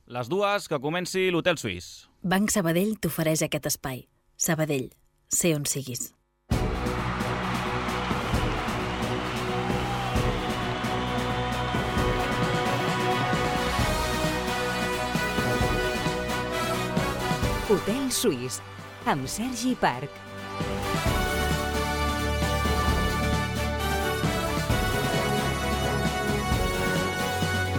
Les dues, que comenci l'Hotel Suís. Banc Sabadell t'ofereix aquest espai. Sabadell, sé on siguis. Hotel Suís, amb Sergi Parc.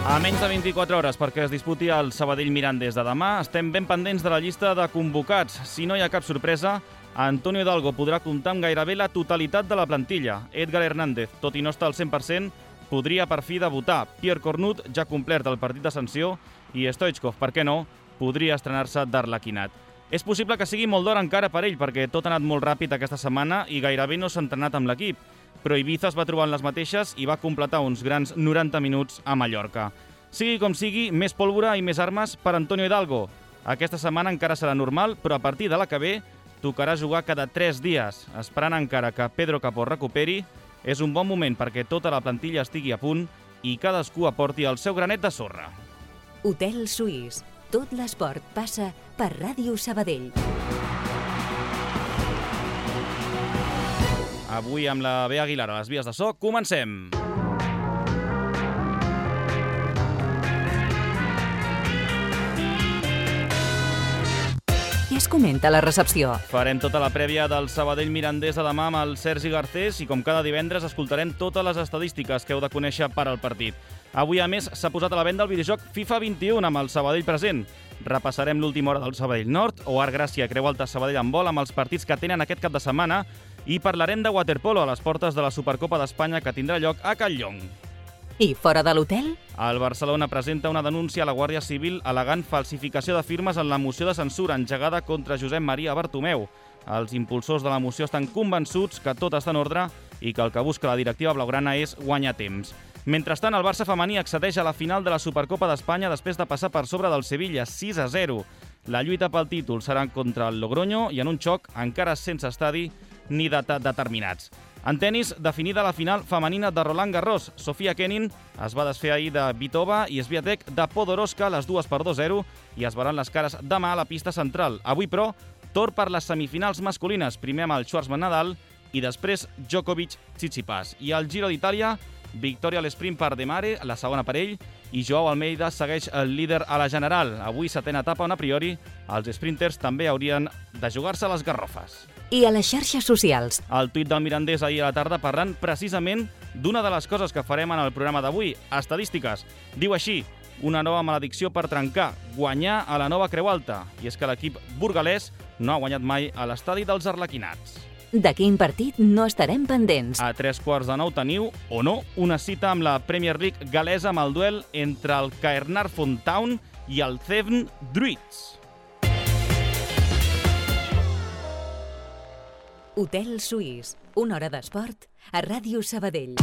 A menys de 24 hores perquè es disputi el Sabadell-Mirandés de demà, estem ben pendents de la llista de convocats. Si no hi ha cap sorpresa, Antonio Hidalgo podrà comptar amb gairebé la totalitat de la plantilla. Edgar Hernández, tot i no estar al 100%, podria per fi debutar. Pierre Cornut ja ha complert el partit de sanció i Stoichkov, per què no, podria estrenar-se d'Arlequinat. És possible que sigui molt d'hora encara per ell, perquè tot ha anat molt ràpid aquesta setmana i gairebé no s'ha entrenat amb l'equip. Però Ibiza es va trobar en les mateixes i va completar uns grans 90 minuts a Mallorca. Sigui com sigui, més pólvora i més armes per Antonio Hidalgo. Aquesta setmana encara serà normal, però a partir de la que ve tocarà jugar cada 3 dies. Esperant encara que Pedro Capó recuperi, és un bon moment perquè tota la plantilla estigui a punt i cadascú aporti el seu granet de sorra. Hotel Suís. Tot l'esport passa per Ràdio Sabadell. Avui amb la Bea Aguilar a les vies de so, comencem! Què es comenta a la recepció? Farem tota la prèvia del Sabadell-Mirandés de demà amb el Sergi Garcés i com cada divendres escoltarem totes les estadístiques que heu de conèixer per al partit. Avui, a més, s'ha posat a la venda el videojoc FIFA 21 amb el Sabadell present. Repassarem l'última hora del Sabadell Nord o Art Gràcia Creu Alta Sabadell en vol amb els partits que tenen aquest cap de setmana i parlarem de waterpolo a les portes de la Supercopa d'Espanya que tindrà lloc a Catlllong. I fora de l'hotel? El Barcelona presenta una denúncia a la Guàrdia Civil al·legant falsificació de firmes en la moció de censura engegada contra Josep Maria Bartomeu. Els impulsors de la moció estan convençuts que tot està en ordre i que el que busca la directiva blaugrana és guanyar temps. Mentrestant, el Barça femení accedeix a la final de la Supercopa d'Espanya després de passar per sobre del Sevilla 6-0. La lluita pel títol serà contra el Logroño i en un xoc encara sense estadi ni data determinats. En tenis, definida la final femenina de Roland Garros. Sofia Kenin es va desfer ahir de Vitova i Swiatek de Podoroska, les dues per 2-0, i es veuran les cares demà a la pista central. Avui, però, torn per les semifinals masculines. Primer amb el Schwarzman-Nadal i després Djokovic-Tsitsipas. I al Giro d'Itàlia, victòria a l'esprint per De Mare, la segona per ell, i Joao Almeida segueix el líder a la general. Avui, setena etapa on a priori els sprinters també haurien de jugar-se les garrofes. I a les xarxes socials? El tuit del Mirandés ahir a la tarda parlant precisament d'una de les coses que farem en el programa d'avui, estadístiques. Diu així: una nova maledicció per trencar, guanyar a la nova Creu Alta. I és que l'equip burgalès no ha guanyat mai a l'estadi dels Arlequinats. De quin partit no estarem pendents? A 9:15 teniu, o no, una cita amb la Premier League galesa amb el duel entre el Caernarfon Town i el Severn Druids. Hotel Suís, una hora d'esport a Ràdio Sabadell.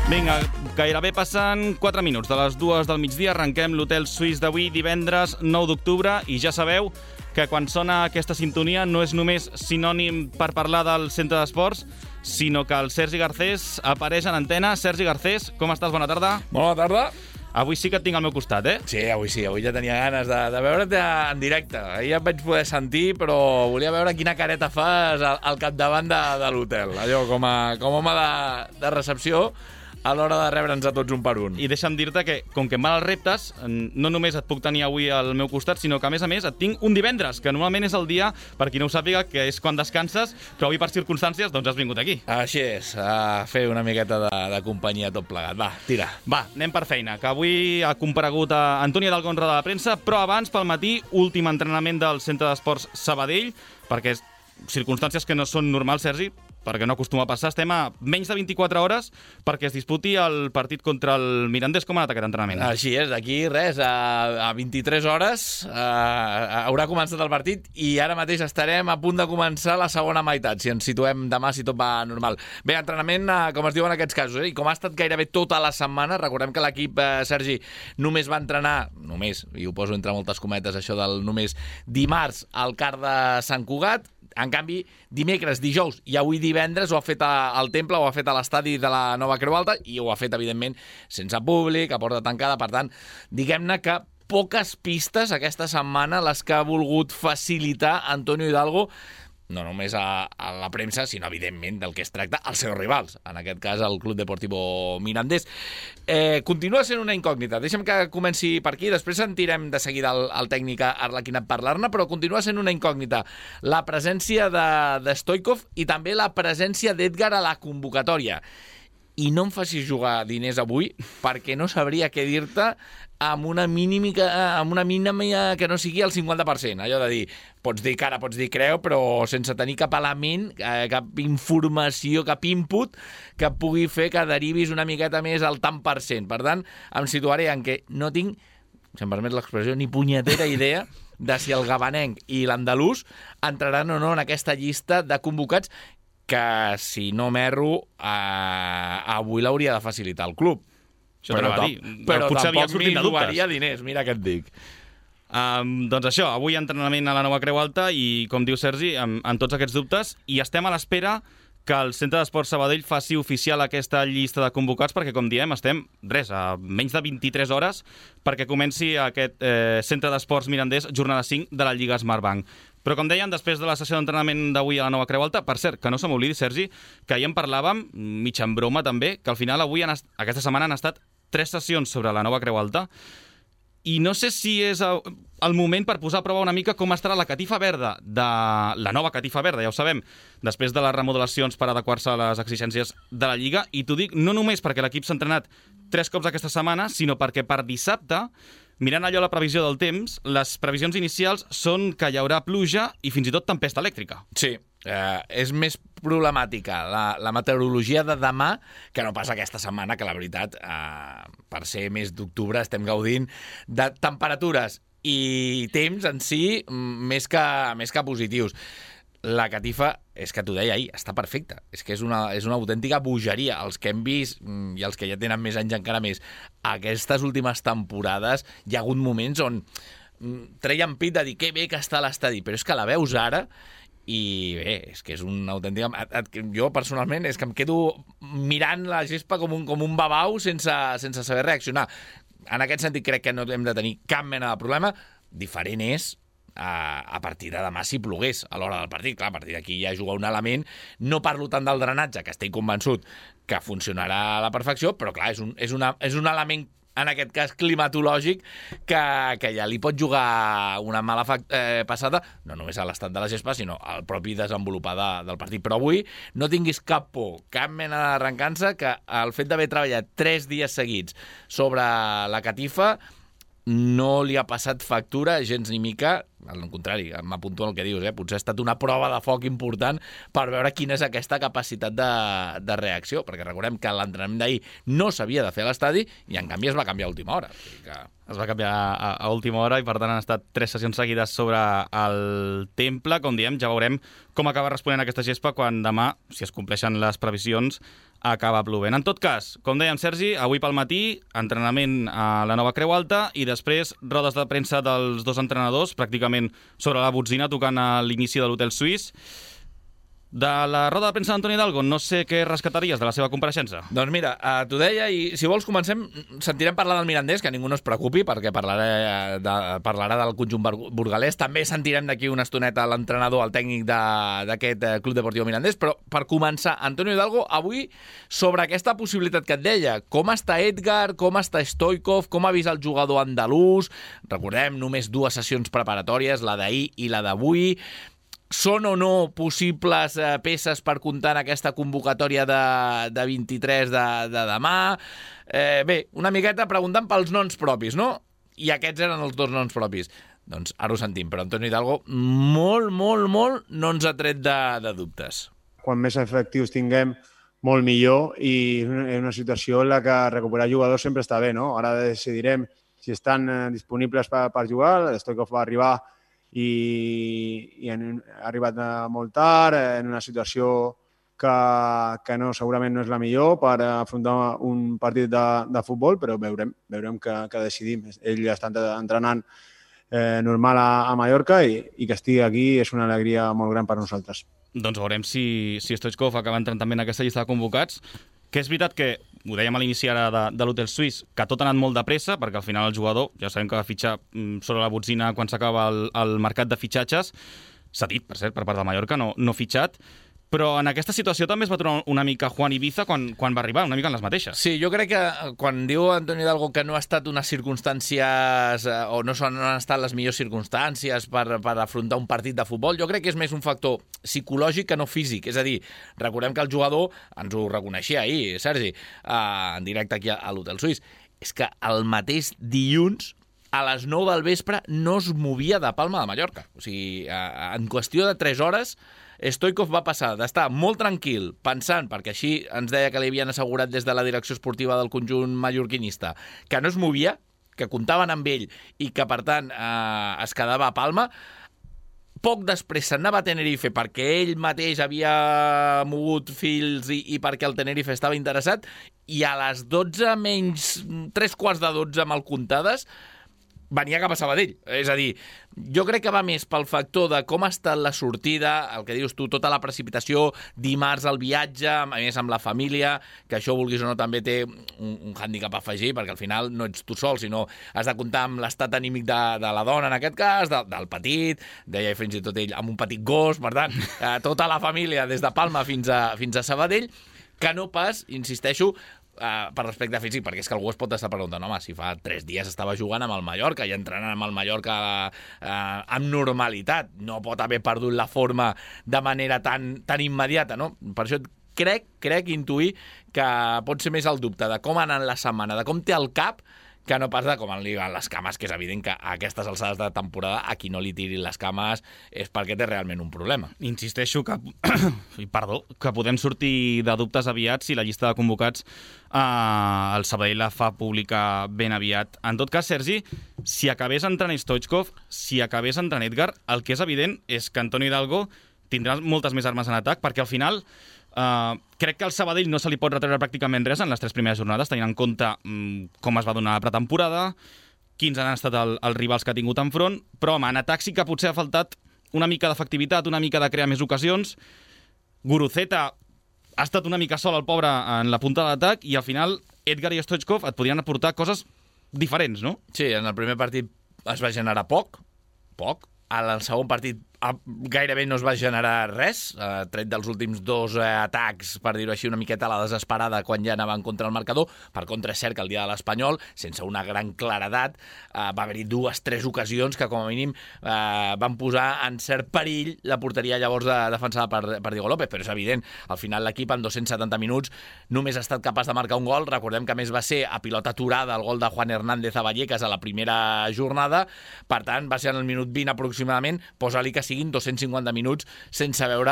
Vinga, gairebé passen 4 minuts de les 2 del migdia. Arrenquem l'Hotel Suís d'avui, divendres 9 d'octubre, i ja sabeu que quan sona aquesta sintonia no és només sinònim per parlar del centre d'esports, sinó que el Sergi Garcés apareix en antena. Sergi Garcés, com estàs? Bona tarda. Bona tarda. Avui sí que et tinc al meu costat, eh? Sí, avui ja tenia ganes de veure't en directe. Ahir ja et vaig poder sentir, però volia veure quina careta fas al capdavant de l'hotel. Allò, com a home de recepció, a l'hora de rebre'ns a tots un per un. I deixa'm dir-te que, com que em van els reptes, no només et puc tenir avui al meu costat, sinó que, a més, et tinc un divendres, que normalment és el dia, per qui no ho sàpiga, que és quan descanses, però avui, per circumstàncies, doncs has vingut aquí. Així és, a fer una miqueta de companyia tot plegat. Va, tira. Va, anem per feina, que avui ha comparegut a Antònia Hidalgo de la premsa, però abans, pel matí, últim entrenament del Centre d'Esports Sabadell, perquè circumstàncies que no són normals, Sergi, perquè no acostuma a passar, estem a menys de 24 hores perquè es disputi el partit contra el Mirandés. Com ha anat aquest entrenament? Així és, d'aquí res, a 23 hores haurà començat el partit i ara mateix estarem a punt de començar la segona meitat, si ens situem demà, si tot va normal. Bé, entrenament, com es diu en aquests casos, i com ha estat gairebé tota la setmana, recordem que l'equip, Sergi, només va entrenar, i ho poso entre moltes cometes, això del només, dimarts al CAR de Sant Cugat. En canvi, dimecres, dijous i avui divendres ho ha fet al Temple, ho ha fet a l'estadi de la Nova Creu Alta i ho ha fet, evidentment, sense públic, a porta tancada. Per tant, diguem-ne que poques pistes aquesta setmana les que ha volgut facilitar Antonio Hidalgo, no només a la premsa, sinó, evidentment, del que es tracta als seus rivals, en aquest cas el Club Deportivo Mirandés. Continua sent una incògnita. Deixa'm que comenci per aquí, després sentirem de seguida el tècnic Arlequinat parlar-ne, però continua sent una incògnita la presència de Stoichkov i també la presència d'Edgar a la convocatòria. I no em facis jugar diners avui, perquè no sabria què dir-te amb una mínima que no sigui el 50%. Allò de dir, pots dir cara, pots dir creu, però sense tenir cap element, cap informació, cap input que pugui fer que derivis una miqueta més al tant per cent. Per tant, em situaré en què no tinc, si em permet l'expressió, ni punyetera idea de si el gabanenc i l'andalús entraran o no en aquesta llista de convocats que, si no m'erro, avui l'hauria de facilitar el club. Això t'anava a dir. Però potser tampoc m'hi jugaria diners, mira què et dic. Doncs això, avui entrenament a la Nova Creu Alta i, com diu Sergi, amb tots aquests dubtes, i estem a l'espera que el Centre d'Esports Sabadell faci oficial aquesta llista de convocats perquè, com diem, estem, a menys de 23 hores perquè comenci aquest Centre d'Esports Mirandés, jornada 5 de la Lliga Smartbank. Però, com deien, després de la sessió d'entrenament d'avui a la Nova Creu Alta, per cert, que no se m'oblidi, Sergi, que ahir en parlàvem, mig en broma també, que al final avui, aquesta setmana, han estat 3 sessions sobre la Nova Creu Alta, i no sé si és el moment per posar a prova una mica com estarà la catifa verda, la nova catifa verda, ja ho sabem, després de les remodelacions per adequar-se a les exigències de la Lliga, i t'ho dic no només perquè l'equip s'ha entrenat 3 cops aquesta setmana, sinó perquè per dissabte, mirant allò la previsió del temps, les previsions inicials són que hi haurà pluja i fins i tot tempesta elèctrica. Sí, és més problemàtica la meteorologia de demà que no pas aquesta setmana, que la veritat, per ser mes d'octubre, estem gaudint de temperatures i temps en si més que positius. La catifa, és que t'ho deia ahir, està perfecta. És que és una autèntica bogeria. Els que hem vist, i els que ja tenen més anys encara més, aquestes últimes temporades hi ha hagut moments on treien pit de dir que bé que està l'estadi, però és que la veus ara i bé, és que és una autèntica... Jo, personalment, és que em quedo mirant la gespa com un babau sense saber reaccionar. En aquest sentit, crec que no hem de tenir cap mena de problema. Diferent és a partir de demà si plogués a l'hora del partit. Clar, a partir d'aquí ja juga un element. No parlo tant del drenatge, que estic convençut que funcionarà a la perfecció, però clar, és un element, en aquest cas climatològic, que ja li pot jugar una mala passada, no només a l'estat de la gespa, sinó al propi desenvolupar del partit. Però avui no tinguis cap por, cap mena d'arrencança, que el fet d'haver treballat 3 dies seguits sobre la catifa no li ha passat factura gens ni mica. Al contrari, m'apunto al que dius, potser ha estat una prova de foc important per veure quina és aquesta capacitat de reacció, perquè recordem que l'entrenament d'ahir no s'havia de fer a l'estadi i en canvi es va canviar a última hora. Es va canviar a última hora i per tant han estat 3 sessions seguides sobre el Temple. Com diem, ja veurem com acaba responent aquesta gespa quan demà, si es compleixen les previsions, acaba plovent. En tot cas, com dèiem, Sergi, avui pel matí, entrenament a la Nova Creu Alta i després rodes de premsa dels 2 entrenadors, pràcticament sobre la botzina, tocant a l'inici de l'Hotel Suís. De la roda de premsa d'Antoni Hidalgo, no sé què rescataries de la seva compareixença. Doncs mira, t'ho deia, i si vols comencem, sentirem parlar del Mirandés, que ningú no es preocupi, perquè parlarà del conjunt burgalès. També sentirem d'aquí una estoneta l'entrenador, el tècnic d'aquest Club Deportivo Mirandés, però per començar, Antonio Hidalgo, avui sobre aquesta possibilitat que et deia, com està Edgar, com està Stoichkov, com ha vist el jugador andalús, recordem, només 2 sessions preparatòries, la d'ahir i la d'avui. Són o no possibles peces per comptar en aquesta convocatòria de 23 de demà? Bé, una miqueta preguntant pels noms propis, no? I aquests eren els 2 noms propis. Doncs ara ho sentim, però Antonio Hidalgo molt no ens ha tret de dubtes. quan més efectius tinguem, molt millor, i és una situació en la que recuperar jugadors sempre està bé, no? Ara decidirem si estan disponibles per jugar. Stoichkov va arribar i ha arribat molt tard, en una situació que no, segurament no és la millor per afrontar un partit de futbol, però veurem què decidim. Ell està entrenant normal a Mallorca i que estigui aquí és una alegria molt gran per nosaltres. Doncs veurem si Stoichkov acaba entrant també en aquesta llista de convocats, que és veritat que, ho dèiem a l'inici ara de l'hotel suís, que tot ha anat molt de pressa, perquè al final el jugador, ja sabem que va fitxar sobre la botzina quan s'acaba el mercat de fitxatges, s'ha dit, per cert, per part de Mallorca, no fitxat, però en aquesta situació també es va trobar una mica Juan Ibiza quan va arribar, una mica en les mateixes. Sí, jo crec que quan diu Antonio Hidalgo que no ha estat unes circumstàncies o no han estat les millors circumstàncies per afrontar un partit de futbol, jo crec que és més un factor psicològic que no físic. És a dir, recordem que el jugador, ens ho reconeixia ahir, Sergi, en directe aquí a l'Hotel Suís, és que el mateix dilluns a les 9 del vespre no es movia de Palma de Mallorca. O sigui, en qüestió de 3 hores, Stoichkov va passar d'estar molt tranquil, pensant, perquè així ens deia que li havien assegurat des de la direcció esportiva del conjunt mallorquinista, que no es movia, que comptaven amb ell i que, per tant, es quedava a Palma. Poc després s'anava a Tenerife perquè ell mateix havia mogut fils i perquè el Tenerife estava interessat, i a les 12 menys 3:15 mal comptades venia cap a Sabadell. És a dir, jo crec que va més pel factor de com ha estat la sortida, el que dius tu, tota la precipitació, dimarts el viatge, a més amb la família, que això, vulguis o no, també té un hàndicap a afegir, perquè al final no ets tu sol, sinó has de comptar amb l'estat anímic de la dona, en aquest cas, del petit, deia fins i tot ell, amb un petit gos, per tant, tota la família, des de Palma fins a Sabadell, que no pas, insisteixo, per respecte físic, perquè és que algú es pot estar preguntant, home, si fa 3 dies estava jugant amb el Mallorca i entrenant amb el Mallorca amb normalitat, no pot haver perdut la forma de manera tan immediata, no? Per això crec intuir que pot ser més el dubte de com ha anat la setmana, de com té el cap, que no pas de com li van les cames, que és evident que a aquestes alçades de temporada a qui no li tirin les cames és perquè té realment un problema. Insisteixo que podem sortir de dubtes aviat si la llista de convocats el Sabadell la fa pública ben aviat. En tot cas, Sergi, si acabés entrant Stoichkov, si acabés entrant Edgar, el que és evident és que Antonio Hidalgo tindrà moltes més armes en atac, perquè al final crec que al Sabadell no se li pot retreure pràcticament res en les 3 primeres jornades, tenint en compte com es va donar la pretemporada, quins han estat els rivals que ha tingut enfront, però home, en atac sí que potser ha faltat una mica d'efectivitat, una mica de crear més ocasions. Guruceta ha estat una mica sol, el pobre, en la punta de l'atac, i al final Edgar i Stoichkov et podrien aportar coses diferents, no? Sí, en el primer partit es va generar poc. En el segon partit gairebé no es va generar res, tret dels últims 2 atacs, per dir-ho així, una miqueta a la desesperada quan ja anaven contra el marcador. Per contra, és cert que el dia de l'Espanyol, sense una gran claredat, va haver-hi 2-3 ocasions que com a mínim van posar en cert perill la porteria llavors defensada per Diego López, però és evident, al final l'equip en 270 minuts només ha estat capaç de marcar un gol. Recordem que a més va ser a pilota aturada el gol de Juan Hernández a Vallecas a la primera jornada, per tant va ser en el minut 20 aproximadament, posa-li que siguin 250 minuts sense veure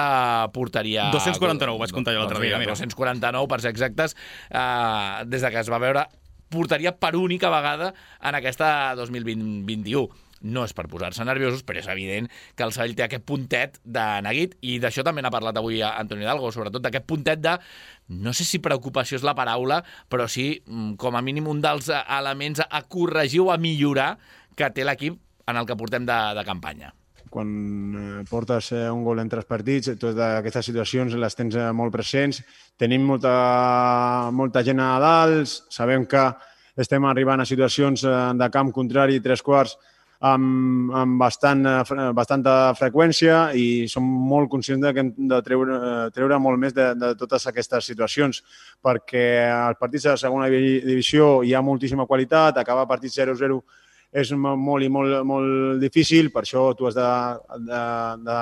porteria. 249, vaig comptar jo l'altre dia. 249, per ser exactes, des de que es va veure porteria per única vegada en aquesta 2021. No és per posar-se nerviosos, però és evident que el Sabadell té aquest puntet de neguit, i d'això també n'ha parlat avui Antonio Hidalgo, sobretot d'aquest puntet de, no sé si preocupació és la paraula, però sí, com a mínim, un dels elements a corregir o a millorar que té l'equip en el que portem de campanya. Quan portes un gol en 3 partits, totes aquestes situacions les tens molt presents. Tenim molta gent a dalt, sabem que estem arribant a situacions de camp contrari 3/4 amb bastanta freqüència, i som molt conscients que hem de treure molt més de totes aquestes situacions, perquè als partits de segona divisió hi ha moltíssima qualitat, acabar partits 0-0 és molt i molt difícil, per això tu has de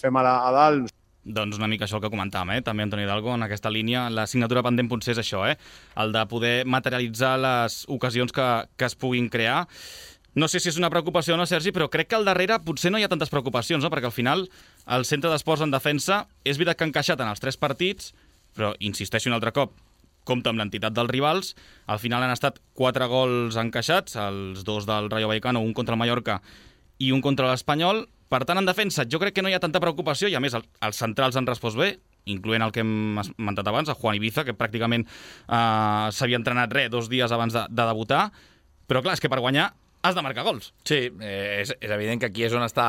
fer mal a dalt. Doncs una mica això el que comentàvem, també Antonio Hidalgo, en aquesta línia. La signatura pendent potser és això, el de poder materialitzar les ocasions que es puguin crear. No sé si és una preocupació o no, Sergi, però crec que al darrere potser no hi ha tantes preocupacions, no? Perquè al final el centre d'esports en defensa és veritat que ha encaixat en els 3 partits, però insisteixo un altre cop, compta amb l'entitat dels rivals. Al final han estat 4 gols encaixats, els 2 del Rayo Vallecano, un contra el Mallorca i un contra l'Espanyol. Per tant, en defensa jo crec que no hi ha tanta preocupació i, a més, els centrals han respost bé, incloent el que hem esmentat abans, el Juan Ibiza, que pràcticament s'havia entrenat 2 dies abans de debutar. Però clar, és que per guanyar has de marcar gols. Sí, és evident que aquí és on està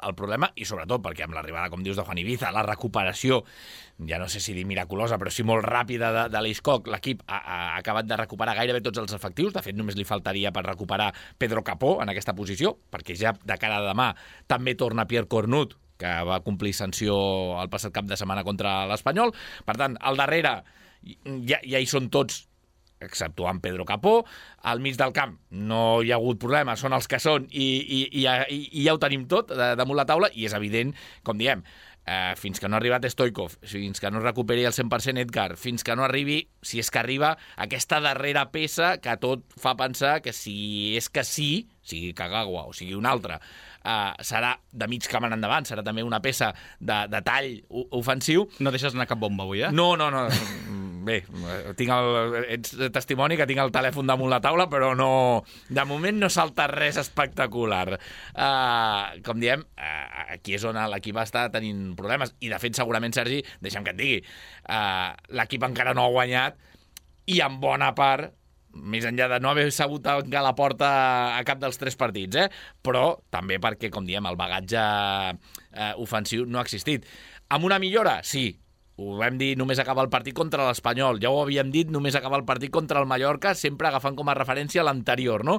el problema, i sobretot perquè amb l'arribada, com dius, de Juan Ibiza, la recuperació, ja no sé si dir miraculosa, però sí molt ràpida de l'Iscoc, l'equip ha acabat de recuperar gairebé tots els efectius. De fet, només li faltaria per recuperar Pedro Capó en aquesta posició, perquè ja de cara a demà també torna Pierre Cornut, que va complir sanció el passat cap de setmana contra l'Espanyol. Per tant, al darrere ja hi són tots, exceptuant Pedro Capó. Al mig del camp no hi ha hagut problema, són els que són i ja ho tenim tot damunt la taula, i és evident, com diem, fins que no ha arribat Stoichkov, fins que no recuperi el 100% Edgar, fins que no arribi, si és que arriba, aquesta darrera peça que tot fa pensar que si és que sí, sigui Kagawa o sigui un altre, serà de mig camp en endavant, serà també una peça de tall ofensiu. No deixes anar cap bomba avui, eh? No. Bé, ets testimoni que tinc el telèfon damunt la taula, però no, de moment no salta res espectacular. Com diem, aquí és on l'equip està tenint problemes, i de fet segurament, Sergi, deixa'm que et digui, l'equip encara no ha guanyat, i en bona part, més enllà de no haver sabut tancar la porta a cap dels 3 partits, però també perquè, com diem, el bagatge ofensiu no ha existit. Amb una millora? Sí. Ho vam dir només acabar el partit contra l'Espanyol, ja ho havíem dit només acabar el partit contra el Mallorca, sempre agafant com a referència l'anterior, no?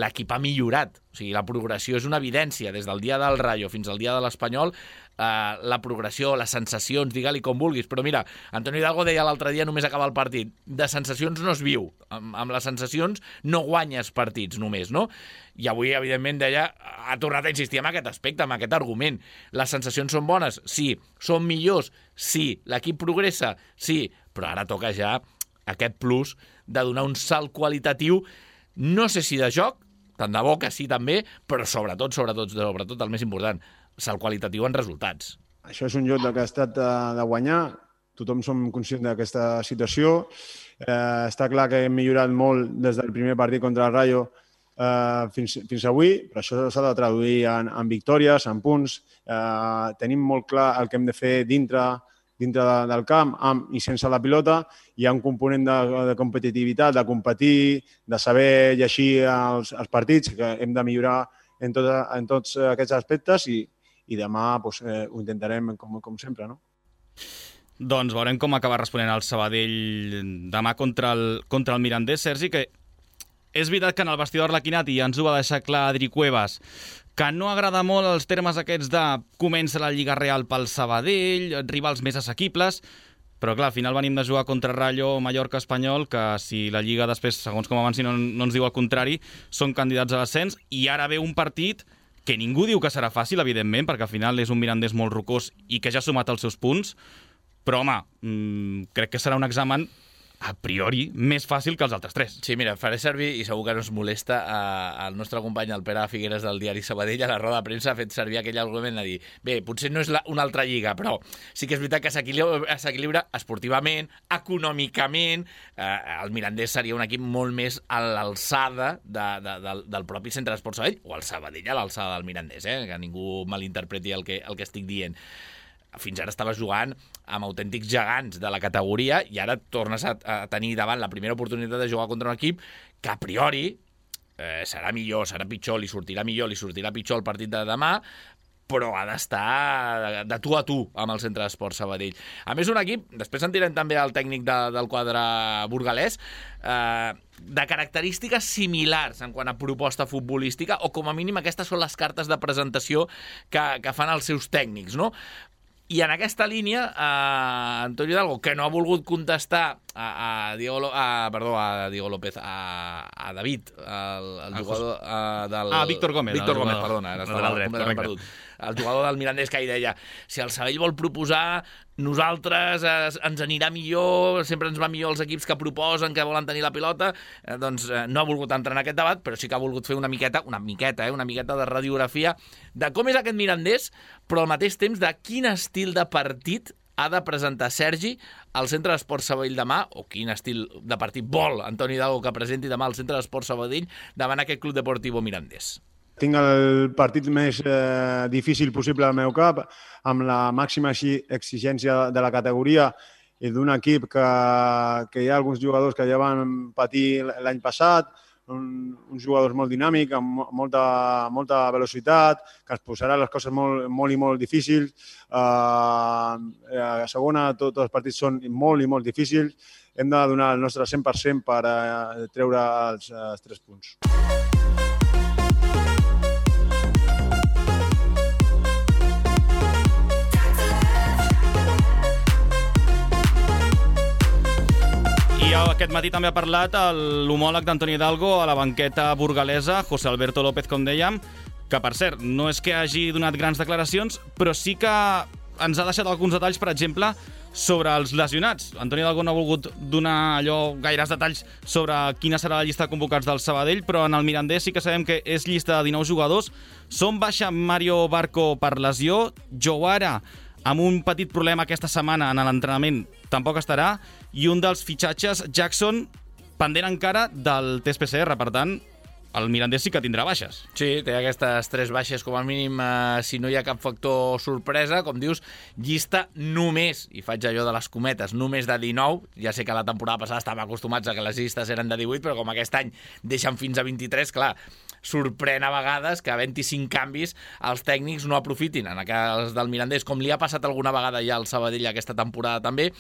L'equip ha millorat, o sigui, la progressió és una evidència, des del dia del Rayo fins al dia de l'Espanyol, la progressió, les sensacions, digue-li com vulguis, però mira, Antonio Hidalgo deia l'altre dia només acabar el partit, de sensacions no es viu, amb les sensacions no guanyes partits només, no? I avui, evidentment, deia, ha tornat a insistir en aquest aspecte, en aquest argument. Les sensacions són bones? Sí. Són millors? Sí. L'equip progressa? Sí. Però ara toca ja aquest plus de donar un salt qualitatiu, no sé si de joc, tant de bo que sí també, però sobretot, el més important, salt qualitatiu en resultats. Això és un joc que ha estat de guanyar, tothom som conscients d'aquesta situació. Està clar que hem millorat molt des del primer partit contra el Rayo fins avui, però això s'ha de traduir en victòries, en punts. Tenim molt clar el que hem de fer dintre del camp, amb i sense la pilota. Hi ha un component de competitivitat, de competir, de saber llegir els partits, que hem de millorar en tots aquests aspectes, i demà ho intentarem com sempre, no? Doncs veurem com acaba responent el Sabadell demà contra el Mirandés, Sergi, que és veritat que en el vestidor Arlequinati ja ens ho va deixar clar Adri Cuevas, que no agrada molt els termes aquests de comença la Lliga Real pel Sabadell, rivals més assequibles, però clar, al final venim de jugar contra Rayo, Mallorca, Espanyol, que si la Lliga després, segons com avanci, no ens diu el contrari, són candidats a l'ascens, i ara ve un partit que ningú diu que serà fàcil, evidentment, perquè al final és un Mirandés molt rocós i que ja ha sumat els seus punts, però home, crec que serà un examen a priori més fàcil que els altres 3. Sí, mira, faré servir, i segur que no es molesta, el nostre company, el Pere Figueres del diari Sabadell, a la roda de premsa ha fet servir aquell argument de dir, bé, potser no és una altra lliga, però sí que és veritat que s'equilibra esportivament, econòmicament. El Mirandés seria un equip molt més a l'alçada del propi centre d'esports Sabadell, o el Sabadell a l'alçada del Mirandés, que ningú malinterpreti el que estic dient. Fins ara estaves jugant amb autèntics gegants de la categoria i ara tornes a tenir davant la primera oportunitat de jugar contra un equip que a priori serà millor, serà pitjor, li sortirà pitjor el partit de demà, però ha d'estar de tu a tu amb el centre d'esports Sabadell. A més, un equip, després sentirem també el tècnic del quadre burgalès, de característiques similars en quant a proposta futbolística, o com a mínim aquestes són les cartes de presentació que fan els seus tècnics, no? I en aquesta línia, Antonio Hidalgo, que no ha volgut contestar a Diego López, a David, el jugador del... Víctor Gómez. Víctor Gómez, perdona, ara estava completament perdut. El jugador del Mirandés, que hi deia, si el Sabadell vol proposar, nosaltres ens anirà millor, sempre ens va millor els equips que proposen, que volen tenir la pilota, doncs no ha volgut entrar en aquest debat, però sí que ha volgut fer una miqueta de radiografia de com és aquest Mirandés, però al mateix temps de quin estil de partit ha de presentar Sergi al Centre d'Esports Sabadell demà, o quin estil de partit vol Antoni Hidalgo que presenti demà al Centre d'Esports Sabadell davant aquest Club Deportivo Mirandés. Tinc el partit més difícil possible al meu cap, amb la màxima exigència de la categoria i d'un equip que hi ha alguns jugadors que ja van patir l'any passat, uns jugadors molt dinàmics, amb molta velocitat, que ens posarà les coses molt i molt difícils. A segona, tots els partits són molt i molt difícils. Hem de donar el nostre 100% per treure els 3 punts. I aquest matí també ha parlat l'homòleg d'Antoni Hidalgo a la banqueta burgalesa, José Alberto López, com dèiem, que, per cert, no és que hagi donat grans declaracions, però sí que ens ha deixat alguns detalls, per exemple, sobre els lesionats. Antoni Hidalgo no ha volgut donar gaires detalls sobre quina serà la llista de convocats del Sabadell, però en el Mirandés sí que sabem que és llista de 19 jugadors. Són baixa Mario Barco per lesió, Jouara, amb un petit problema aquesta setmana en l'entrenament, tampoc estarà, i un dels fitxatges, Jackson, pendent encara del test PCR. Per tant, el Mirandés sí que tindrà baixes. Sí, té aquestes 3 baixes com a mínim, si no hi ha cap factor sorpresa. Com dius, llista només, i faig allò de les cometes, només de 19. Ja sé que la temporada passada estàvem acostumats a que les llistes eren de 18, però com aquest any deixen fins a 23, clar, sorprèn a vegades que havent-hi 5 canvis els tècnics no aprofitin. En els del Mirandés, com li ha passat alguna vegada ja al Sabadell aquesta temporada també,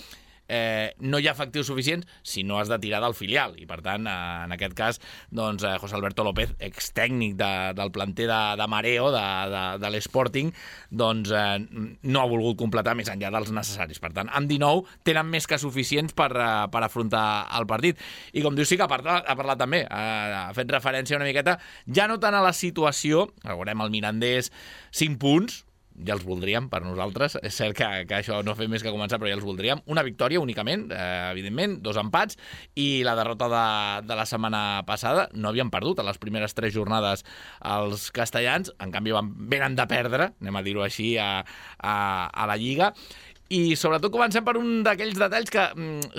no hi ha efectius suficients si no has de tirar del filial. I, per tant, en aquest cas, doncs, José Alberto López, extècnic del planter de Mareo, de l'Sporting, doncs no ha volgut completar més enllà dels necessaris. Per tant, amb 19 tenen més que suficients per afrontar el partit. I, com dius, sí que ha parlat també, ha fet referència una miqueta, ja no tant a la situació, veurem el Mirandés 5 punts, ja els voldríem per nosaltres, és cert que això no fa més que començar, però ja els voldríem. Una victòria únicament, evidentment, 2 empats, i la derrota de la setmana passada. No havien perdut a les primeres 3 jornades els castellans, en canvi venen de perdre, anem a dir-ho així, a la Lliga. I sobretot comencem per un d'aquells detalls que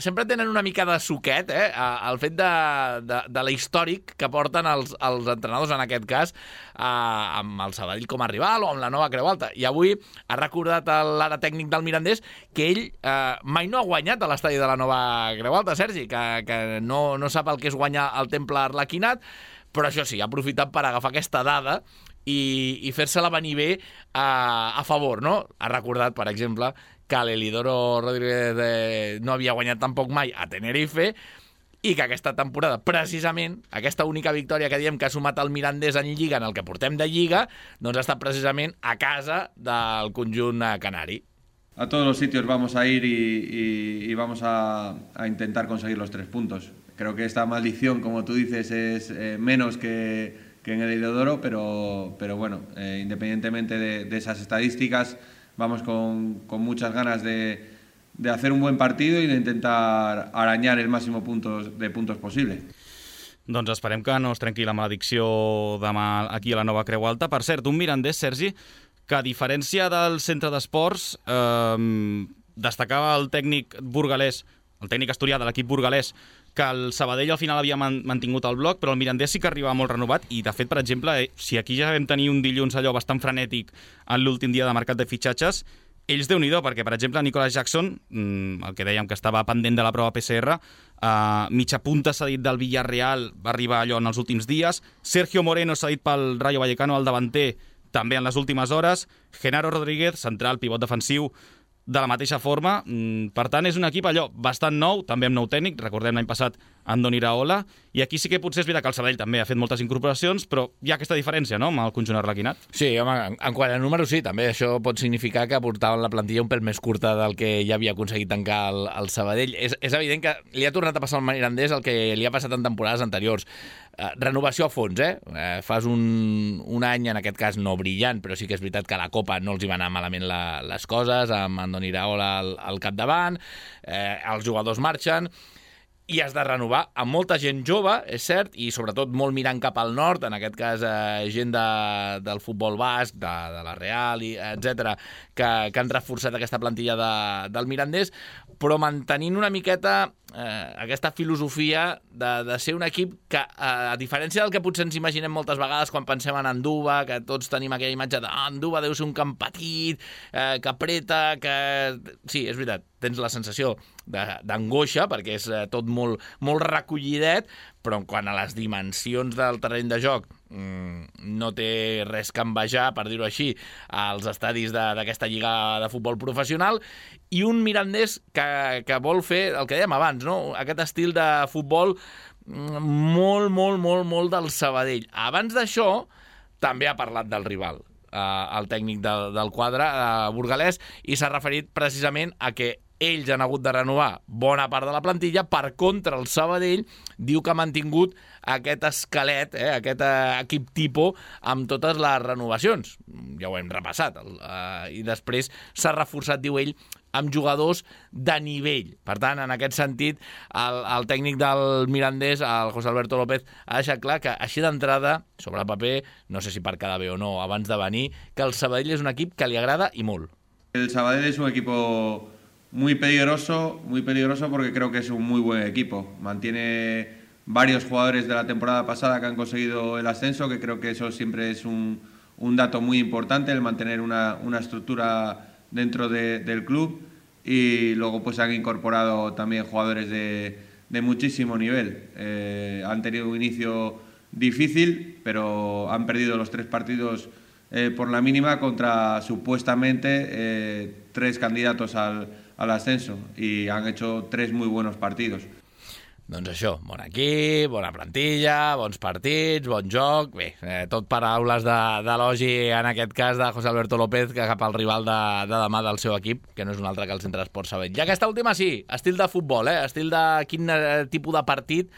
sempre tenen una mica de suquet, el fet de la històric que porten els entrenadors, en aquest cas, amb el Sabadell com a rival o amb la nova Creu Alta. I avui ha recordat l'ara tècnic del Mirandés que ell mai no ha guanyat a l'estadi de la nova Creu Alta, Sergi, que no sap el que és guanyar al Temple Arlequinat, però això sí, ha aprofitat per agafar aquesta dada i fer-se-la venir bé a favor, no? Ha recordat, per exemple, que l'Elidoro Rodríguez no havia guanyat tampoc mai a Tenerife i que aquesta temporada, precisament, aquesta única victòria que diem que ha sumat el Mirandés en Lliga, en el que portem de Lliga, doncs ha estat precisament a casa del conjunt canari. A todos los sitios vamos a ir y vamos a intentar conseguir los 3 puntos. Creo que esta maldición, como tú dices, es menos que en el Elidoro, pero bueno, independientemente de esas estadísticas, vamos con muchas ganas de hacer un buen partido y de intentar arañar el máximo de puntos posible. Doncs esperem que no es trenqui la maledicció demà aquí a la nova Creu Alta. Per cert, un Mirandés, Sergi, que a diferència del centre d'esports, destacava el tècnic burgalès, el tècnic asturià de l'equip burgalès, que el Sabadell al final havia mantingut el bloc, però el Mirandés sí que arribava molt renovat i, de fet, per exemple, si aquí ja vam tenir un dilluns allò bastant frenètic en l'últim dia de mercat de fitxatges, ells déu-n'hi-do, perquè, per exemple, Nicolas Jackson, el que dèiem que estava pendent de la prova PCR, mitja punta cedit del Villarreal, va arribar allò en els últims dies, Sergio Moreno cedit pel Rayo Vallecano, el davanter, també en les últimes hores, Genaro Rodríguez, central, pivot defensiu, de la mateixa forma. Per tant, és un equip allò bastant nou, també amb nou tècnic, recordem l'any passat Andoni Iraola, i aquí sí que potser és veritat que el Sabadell també ha fet moltes incorporacions, però hi ha aquesta diferència, no?, amb el conjunt arlequinat. Sí, home, en quant a números sí, també això pot significar que portaven la plantilla un pèl més curta del que ja havia aconseguit tancar el Sabadell. És evident que li ha tornat a passar al Mirandés el que li ha passat en temporades anteriors. renovació a fons, fas un any, en aquest cas no brillant, però sí que és veritat que a la Copa no els hi van anar malament les coses, amb Andoni Iraola al capdavant, els jugadors marxen, i has de renovar amb molta gent jove, és cert, i sobretot molt mirant cap al nord, en aquest cas gent del futbol basc, de la Real, etc., que han reforçat aquesta plantilla del Mirandés, però mantenint una miqueta aquesta filosofia de ser un equip que, a diferència del que potser ens imaginem moltes vegades quan pensem en Anduva, que tots tenim aquella imatge d'Anduva deu ser un camp petit, que apreta, que... Sí, és veritat, tens la sensació d'angoixa, perquè és tot molt recollidet, però quant a les dimensions del terreny de joc no té res que envejar, per dir-ho així, als estadis d'aquesta lliga de futbol professional, i un Mirandés que vol fer el que dèiem abans, no? Aquest estil de futbol molt del Sabadell. Abans d'això, també ha parlat del rival, el tècnic del quadre burgalès, i s'ha referit precisament a que ells han hagut de renovar bona part de la plantilla. Per contra, el Sabadell diu que ha mantingut aquest esquelet, aquest equip tipus, amb totes les renovacions. Ja ho hem repassat. I després s'ha reforçat, diu ell, amb jugadors de nivell. Per tant, en aquest sentit, el tècnic del Mirandés, el José Alberto López, ha deixat clar que, així d'entrada, sobre el paper, no sé si per quedar bé o no, abans de venir, que el Sabadell és un equip que li agrada i molt. El Sabadell es un equipo muy peligroso porque creo que es un muy buen equipo. Mantiene varios jugadores de la temporada pasada que han conseguido el ascenso, que creo que eso siempre es un dato muy importante, el mantener una estructura dentro del club, y luego pues han incorporado también jugadores de muchísimo nivel. Han tenido un inicio difícil, pero han perdido los 3 partidos por la mínima contra supuestamente 3 candidatos al ascenso, y han hecho 3 muy buenos partidos. Doncs això, bon equip, bona plantilla, bons partits, bon joc... Bé, tot paraules d'elogi, en aquest cas, de José Alberto López, que cap al rival de demà del seu equip, que no és un altre que el Centre Esport Sabadell. I aquesta última sí, estil de futbol, estil de quin tipus de partit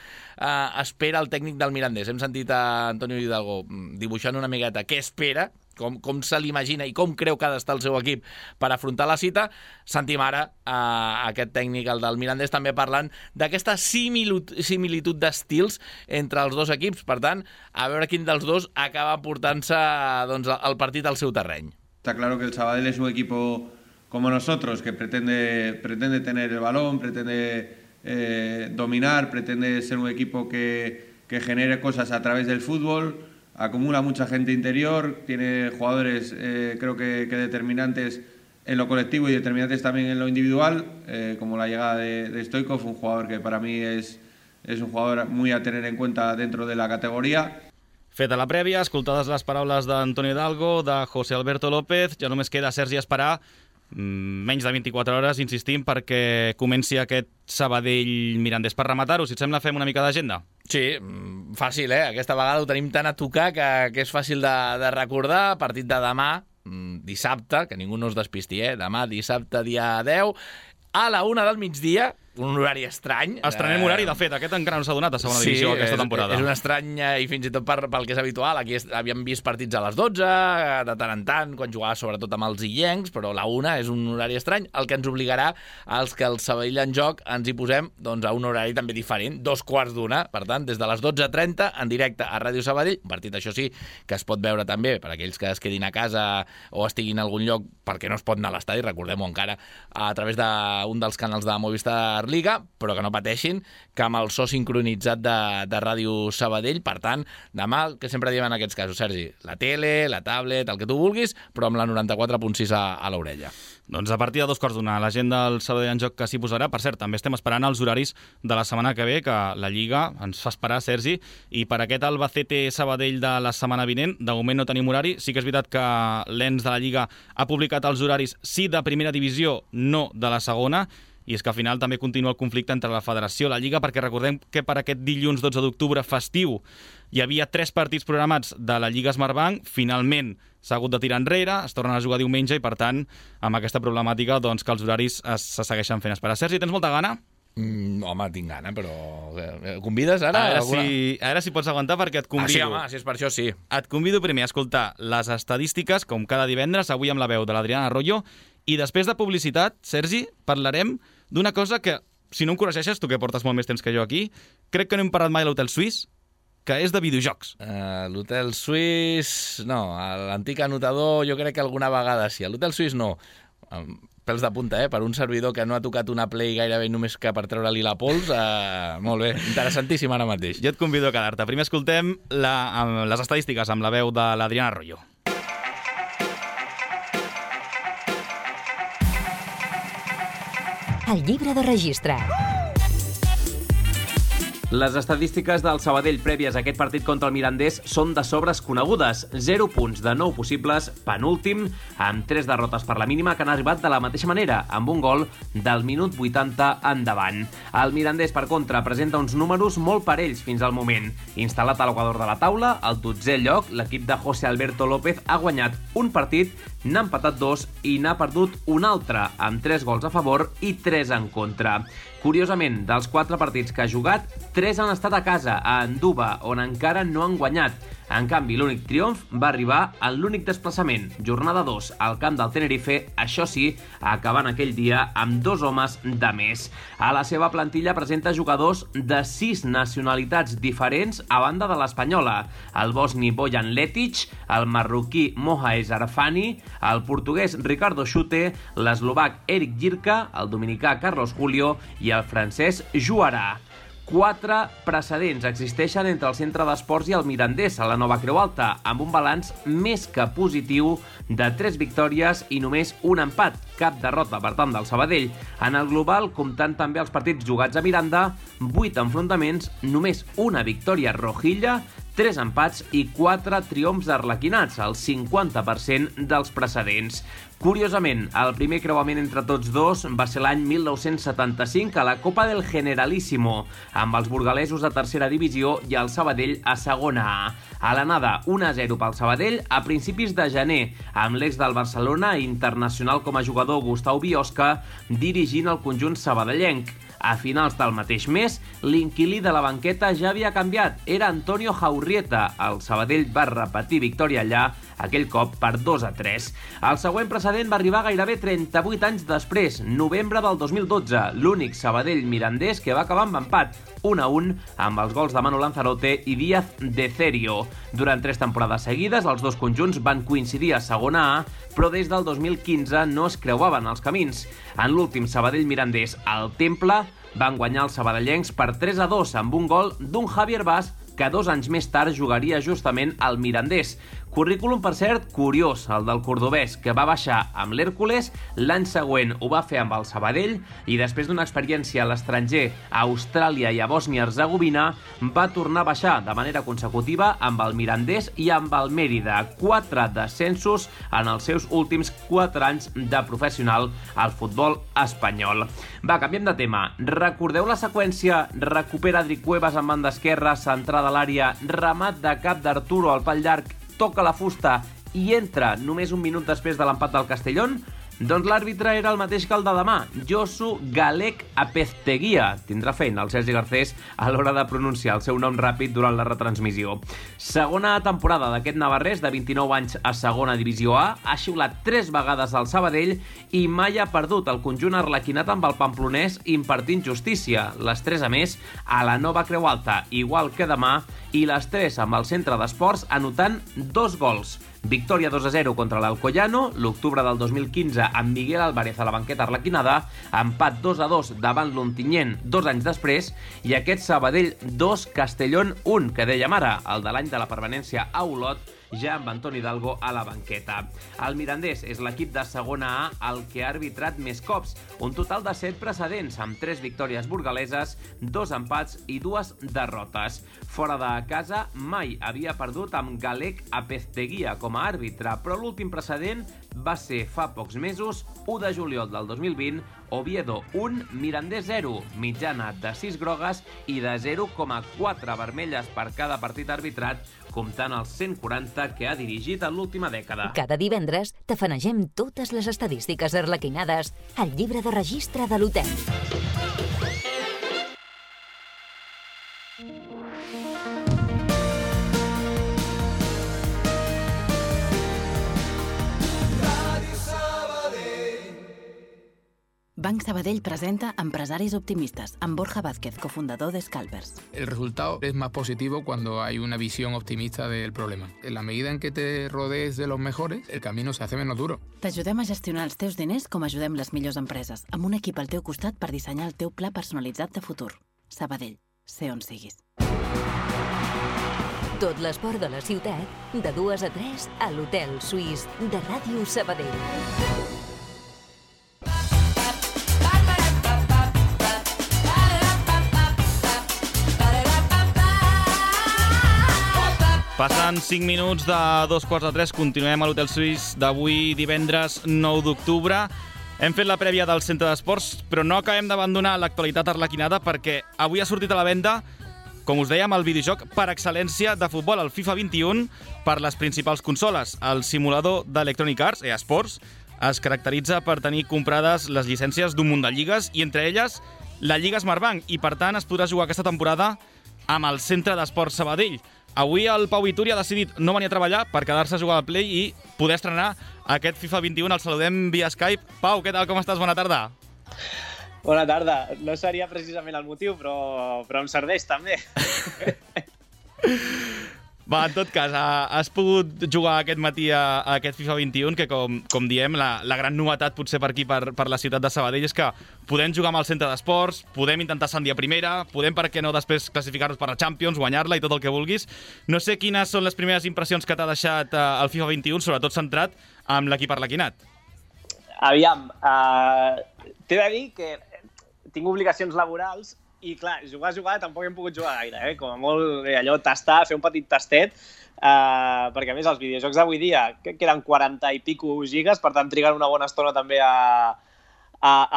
espera el tècnic del Mirandés. Hem sentit a Antonio Hidalgo dibuixant una miqueta què espera, com se l'imagina i com creu que ha d'estar el seu equip per afrontar la cita. Sentim ara aquest tècnic, el del Mirandés, també parlant d'aquesta similitud d'estils entre els dos equips. Per tant, a veure quin dels dos acaba portant-se el partit al seu terreny. Está claro que el Sabadell es un equipo como nosotros, que pretende tener el balón, pretende dominar, pretende ser un equipo que genere cosas a través del fútbol. Acumula mucha gente interior, tiene jugadores creo que determinantes en lo colectivo y determinantes también en lo individual, como la llegada de Stoichkov, un jugador que para mí es un jugador muy a tener en cuenta dentro de la categoría. Feta la prèvia, escoltades les paraules d'Antonio Hidalgo, de José Alberto López, ja només queda, Sergi, esperar menys de 24 hores, insistim, perquè comenci aquest Sabadell-Mirandés. Per rematar-ho, si et sembla, fem una mica d'agenda. Sí, fàcil, Aquesta vegada ho tenim tan a tocar que és fàcil de recordar. Partit de demà, dissabte, que ningú no es despisti, Demà, dissabte, dia 10, a la 1 del migdia, un horari estrany. Estrenem horari, de fet, aquest encara no s'ha donat a segona divisió aquesta temporada. És un estrany, i fins i tot pel que és habitual. Aquí havíem vist partits a les 12, de tant en tant, quan jugava sobretot amb els illencs, però la 1 és un horari estrany, el que ens obligarà als que el Sabadell en joc ens hi posem a un horari també diferent, 2:15. Per tant, des de les 12:30, en directe a Ràdio Sabadell, un partit, això sí, que es pot veure també per aquells que es quedin a casa o estiguin en algun lloc perquè no es pot anar a l'estadi, recordem-ho encara, a través d'un dels canals de Movistar Liga, però que no pateixin, que amb el so sincronitzat de Ràdio Sabadell. Per tant, demà, que sempre diem en aquests casos, Sergi, la tele, la tablet, el que tu vulguis, però amb la 94.6 a l'orella. Doncs a partir de 2:15, la gent del Sabadell en joc que s'hi posarà. Per cert, també estem esperant els horaris de la setmana que ve, que la Lliga ens fa esperar, Sergi, i per aquest Albacete-Sabadell de la setmana vinent, de moment no tenim horari. Sí que és veritat que l'ENS de la Lliga ha publicat els horaris, sí de primera divisió, no de la segona, i és que al final també continua el conflicte entre la Federació i la Lliga, perquè recordem que per aquest dilluns 12 d'octubre festiu hi havia 3 partits programats de la Lliga Smartbank. Finalment s'ha hagut de tirar enrere, es tornen a jugar diumenge, i per tant, amb aquesta problemàtica, doncs, que els horaris se segueixen fent esperar. Sergi, tens molta gana? Home, tinc gana, però... Convides ara? A veure si pots aguantar perquè et convido. Sí, home, si és per això, sí. Et convido primer a escoltar les estadístiques, com cada divendres, avui amb la veu de l'Adriana Arroyo, i després de publicitat, Sergi, parlarem d'una cosa que, si no em corregeixes, tu que portes molt més temps que jo aquí, crec que no hem parlat mai a l'Hotel Suís, que és de videojocs. L'Hotel Suís... No, l'antic anotador jo crec que alguna vegada sí. L'Hotel Suís no. Pèls de punta, per un servidor que no ha tocat una Play gairebé només que per treure-li la pols. Molt bé, interessantíssim ara mateix. Jo et convido a quedar-te. Primer escoltem les estadístiques amb la veu de l'Adriana Arroyo. El llibre de registre. Les estadístiques del Sabadell prèvies a aquest partit contra el Mirandés són de sobres conegudes. 0 punts de 9 possibles, penúltim, amb 3 derrotes per la mínima que han arribat de la mateixa manera, amb un gol del minut 80 endavant. El Mirandés, per contra, presenta uns números molt parells fins al moment. Instal·lat a l'equador de la taula, al 12è lloc, l'equip de José Alberto López ha guanyat un partit, n'ha empatat 2 i n'ha perdut un altre, amb 3 gols a favor i 3 en contra. Curiosament, dels 4 partits que ha jugat, 3 han estat a casa, a Anduba, on encara no han guanyat. En canvi, l'únic triomf va arribar en l'únic desplaçament, jornada 2, al camp del Tenerife, això sí, acabant aquell dia amb 2 homes de més. A la seva plantilla presenta jugadors de 6 nacionalitats diferents a banda de l'espanyola. El bosni Bojan Letic, el marroquí Mohaez Arfani, el portuguès Ricardo Xute, l'eslovac Eric Jirka, el dominicà Carlos Julio i el francès Juarà. 4 precedents existeixen entre el Centre d'Esports i el Mirandés a la Nova Creu Alta, amb un balanç més que positiu de 3 victòries i només un empat, cap derrota per tant del Sabadell. En el global, comptant també els partits jugats a Miranda, 8 enfrontaments, només una victòria rojilla, 3 empats i 4 triomfs arlequinats, el 50% dels precedents. Curiosament, el primer creuament entre tots dos va ser l'any 1975 a la Copa del Generalíssimo, amb els burgalesos a tercera divisió i el Sabadell a segona A. A l'anada, 1-0 pel Sabadell a principis de gener, amb l'ex del Barcelona i internacional com a jugador Gustau Biosca dirigint el conjunt sabadellenc. A finals del mateix mes, l'inquilí de la banqueta ja havia canviat. Era Antonio Jaurrieta. El Sabadell va repetir victòria allà, aquell cop per 2-3. El següent precedent va arribar gairebé 38 anys després, novembre del 2012, l'únic Sabadell mirandès que va acabar amb empat, 1-1, amb els gols de Manu Lanzarote i Díaz de Cerio. Durant 3 temporades seguides, els dos conjunts van coincidir a segona A, però des del 2015 no es creuaven els camins. En l'últim Sabadell mirandès al Temple, van guanyar els sabadellencs per 3-2 amb un gol d'un Javier Bas que 2 anys més tard jugaria justament al Mirandés. Currículum, per cert, curiós, el del cordobès, que va baixar amb l'Hèrcules, l'any següent ho va fer amb el Sabadell i després d'una experiència a l'estranger, a Austràlia i a Bòsnia-Herzegovina, va tornar a baixar de manera consecutiva amb el Mirandés i amb el Mèrida. 4 descensos en els seus últims 4 anys de professional al futbol espanyol. Va, canviem de tema. Recordeu la seqüència? Recupera Adric Cuevas en banda esquerra, centrada a l'àrea, remat de cap d'Arturo al pal llarg, toca la fusta i entra només un minut després de l'empat del Castellón? Doncs l'àrbitre era el mateix que el de demà, Josu Galek Apezteguia. Tindrà feina el Sergi Garcés a l'hora de pronunciar el seu nom ràpid durant la retransmissió. Segona temporada d'aquest navarrès de 29 anys a segona divisió A, ha xiulat 3 vegades al Sabadell i mai ha perdut el conjunt arlequinat amb el pamplonès impartint justícia. Les 3 a més a la Nova Creu Alta, igual que demà, i les 3 amb el Centre d'Esports anotant 2 gols. Victòria 2-0 contra l'Alcoyano, l'octubre del 2015 amb Miguel Álvarez a la banqueta arlequinada, empat 2-2 davant l'Ontinyent 2 anys després, i aquest Sabadell 2, Castellón 1, que dèiem ara, el de l'any de la permanència a Olot, ja amb Antoni Hidalgo a la banqueta. El Mirandés és l'equip de segona A el que ha arbitrat més cops, un total de 7 precedents, amb 3 victòries burgaleses, 2 empats i 2 derrotes. Fora de casa, mai havia perdut amb Galek Apezteguia com a àrbitre, però l'últim precedent va ser fa pocs mesos, 1 de juliol del 2020, Oviedo 1, Mirandés 0, mitjana de 6 grogues i de 0,4 vermelles per cada partit arbitrat, comptant els 140 que ha dirigit en l'última dècada. Cada divendres tafanegem totes les estadístiques arlequinades al llibre de registre de l'hotel. Banc Sabadell presenta Empresaris Optimistas, amb Borja Vázquez, cofundador de Scalpers. El resultado es más positivo cuando hay una visión optimista del problema. En la medida en que te rodees de los mejores, el camino se hace menos duro. T'ajudem a gestionar els teus diners com ajudem les millors empreses, amb un equip al teu costat per dissenyar el teu pla personalitzat de futur. Sabadell, sé on siguis. Tot l'esport de la ciutat, de 2 a 3 a l'Hotel Suís de Ràdio Sabadell. Passen 5 minuts de 2:45, continuem a l'Hotel Suís d'avui, divendres 9 d'octubre. Hem fet la prèvia del centre d'esports, però no acabem d'abandonar l'actualitat arlequinada perquè avui ha sortit a la venda, com us dèiem, el videojoc per excel·lència de futbol, el FIFA 21, per les principals consoles. El simulador d'Electronic Arts, EA Sports, es caracteritza per tenir comprades les llicències d'un munt de lligues, i entre elles la Lliga Smartbank, i per tant es podrà jugar aquesta temporada amb el Centre d'Esports Sabadell. Avui el Pau Vituri ha decidit no venir a treballar per quedar-se a jugar al Play i poder estrenar aquest FIFA 21. El saludem via Skype. Pau, què tal, com estàs? Bona tarda. Bona tarda. No seria precisament el motiu, però em serveix també. Va, en tot cas, has pogut jugar aquest matí a aquest FIFA 21, que com diem, la gran novetat potser per aquí, per la ciutat de Sabadell, és que podem jugar amb el centre d'esports, podem intentar ascendir a primera, podem, per què no, després classificar-nos per la Champions, guanyar-la i tot el que vulguis. No sé quines són les primeres impressions que t'ha deixat el FIFA 21, sobretot centrat amb l'equip arlequinat. Aviam, t'he de dir que tinc obligacions laborals i, clar, jugar tampoc hem pogut jugar gaire, com a molt allò, tastar, fer un petit tastet, perquè, a més, els videojocs d'avui dia queden 40 i pico gigas, per tant, triguen una bona estona també a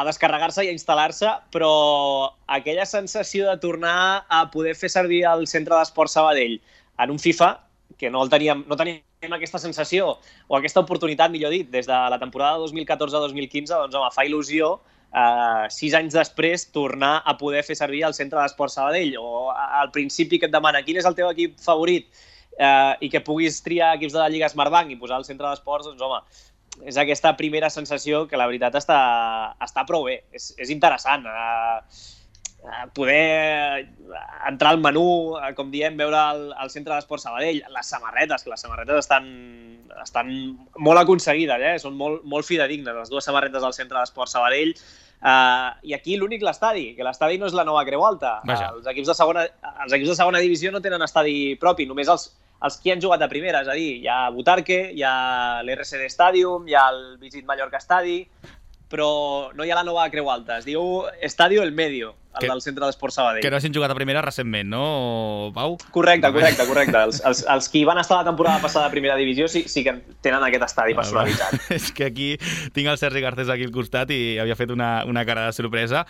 descarregar-se i a instal·lar-se, però aquella sensació de tornar a poder fer servir el Centre d'Esports Sabadell en un FIFA, que no teníem aquesta sensació, o aquesta oportunitat, millor dit, des de la temporada 2014-2015, doncs, home, fa il·lusió 6 anys després tornar a poder fer servir el Centre d'Esports Sabadell, o al principi que et demana quin és el teu equip favorit i que puguis triar equips de la Lliga Smartbank i posar el Centre d'Esports, doncs home, és aquesta primera sensació que la veritat està prou bé, és interessant poder entrar al menú, com diem, veure el Centre d'Esports Sabadell, les samarretes, que les samarretes estan molt aconseguides, són molt fidedignes, les dues samarretes del Centre d'Esports Sabadell, i aquí l'únic l'estadi, que l'estadi no és la nova Creu Alta. Els equips de segona divisió no tenen estadi propi, només els que han jugat a primera, és a dir, hi ha Butarque, hi ha l'RCD Stadium, hi ha el Visit Mallorca Estadi, però no hi ha la nova Creu Alta, es diu Estadio El Medio, el del Centre d'Esports Sabadell. Que no hagin jugat a primera recentment, no, Pau? Correcte. Els que van estar la temporada passada a primera divisió sí que tenen aquest estadi personalitzat. És que aquí tinc el Sergi Garcés aquí al costat i havia fet una cara de sorpresa.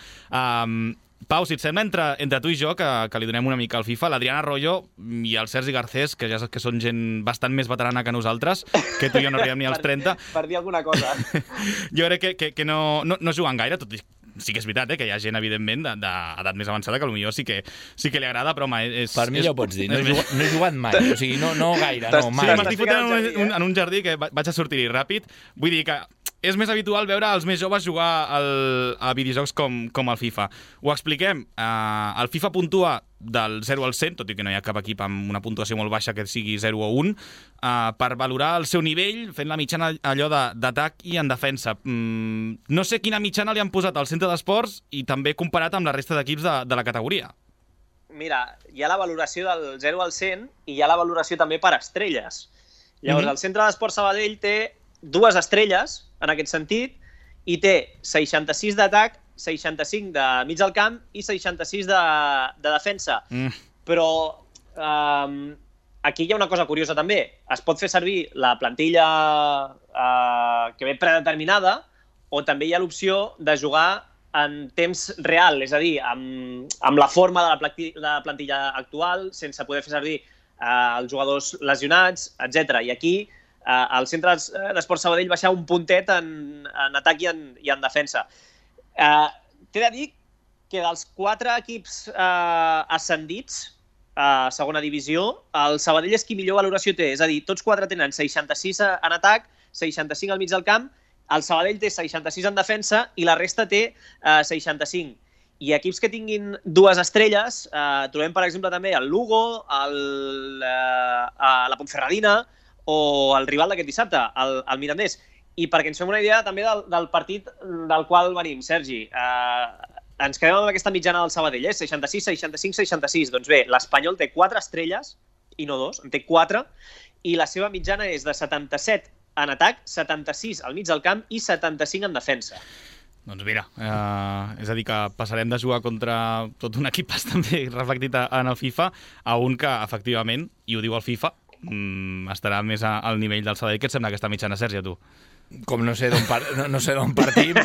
Pau, si et sembla, entre tu i jo, que li donem una mica al FIFA, l'Adrián Arroyo i el Sergi Garcés, que ja saps que són gent bastant més veterana que nosaltres, que tu i jo no arribem ni als 30. Per dir alguna cosa. Jo crec que no juguen gaire, tot i sí que és veritat, que hi ha gent, evidentment, d'edat més avançada, que potser sí que li agrada, però home, és... Per mi ja ho pots dir, no he jugat mai, o sigui, no gaire, no, mai. M'estic fotent en un jardí que vaig a sortir-hi ràpid, vull dir que és més habitual veure els més joves jugar a videojocs com el FIFA. Ho expliquem. El FIFA puntua del 0 al 100, tot i que no hi ha cap equip amb una puntuació molt baixa que sigui 0 o 1, per valorar el seu nivell, fent la mitjana allò d'atac i en defensa. No sé quina mitjana li han posat al Centre d'Esports i també comparat amb la resta d'equips de la categoria. Mira, hi ha la valoració del 0 al 100 i hi ha la valoració també per estrelles. Llavors, el Centre d'Esports Sabadell té 2 estrelles, en aquest sentit, i té 66 d'atac, 65 de mig del camp i 66 de defensa. Però aquí hi ha una cosa curiosa també. Es pot fer servir la plantilla que ve predeterminada o també hi ha l'opció de jugar en temps real, és a dir, amb la forma de la plantilla actual, sense poder fer servir els jugadors lesionats, etc. I aquí el Centre d'Esports Sabadell baixa un puntet en atac i en defensa. T'he de dir que dels 4 equips ascendits a segona divisió, el Sabadell és qui millor valoració té, és a dir, tots 4 tenen 66 en atac, 65 al mig del camp El Sabadell té 66 en defensa i la resta té 65. I equips que tinguin 2 estrelles, trobem, per exemple, també el Lugo, la Ponferradina o el rival d'aquest dissabte, el Mirandés. I perquè ens fem una idea també del partit del qual venim, Sergi, ens quedem amb aquesta mitjana del Sabadell, 66, 65, 66. Doncs bé, l'Espanyol té 4 estrelles, i no 2, en té 4, i la seva mitjana és de 77 en atac, 76 al mig del camp i 75 en defensa. Doncs mira, és a dir que passarem de jugar contra tot un equip bastant bé reflectit en el FIFA a un que, efectivament, i ho diu el FIFA, estarà més al nivell del Sabadell. Què et sembla aquesta mitjana, Sergi, a tu? Com no sé d'on partim,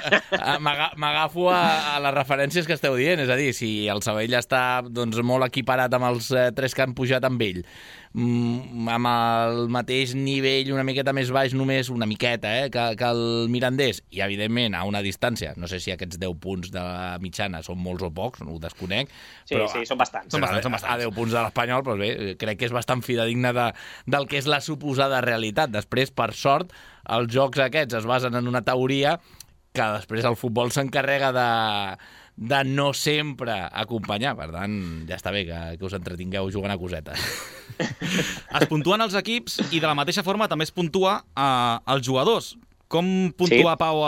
m'agafo a les referències que esteu dient. És a dir, si el Sabadell està molt equiparat amb els 3 que han pujat amb ell, amb el mateix nivell, una miqueta més baix, només una miqueta, que el Mirandés, i evidentment a una distància, no sé si aquests 10 punts de la mitjana són molts o pocs, no ho desconec. Sí, són bastants. A 10 punts de l'Espanyol, però bé, crec que és bastant fidedigne del que és la suposada realitat. Després, per sort, els jocs aquests es basen en una teoria que després el futbol s'encarrega de no sempre acompanyar. Per tant, ja està bé que us entretingueu jugant a cosetes. Es puntuen els equips i de la mateixa forma també es puntua els jugadors. Com puntua, Pau,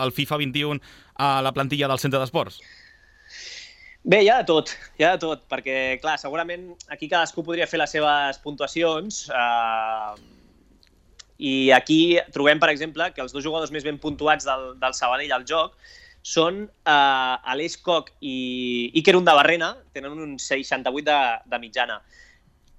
el FIFA 21 a la plantilla del centre d'esports? Bé, hi ha de tot, perquè, clar, segurament aquí cadascú podria fer les seves puntuacions, i aquí trobem, per exemple, que els 2 jugadors més ben puntuats del Sabadell al joc són Aleix Koch i Iker Undabarrena, tenen un 68 de mitjana.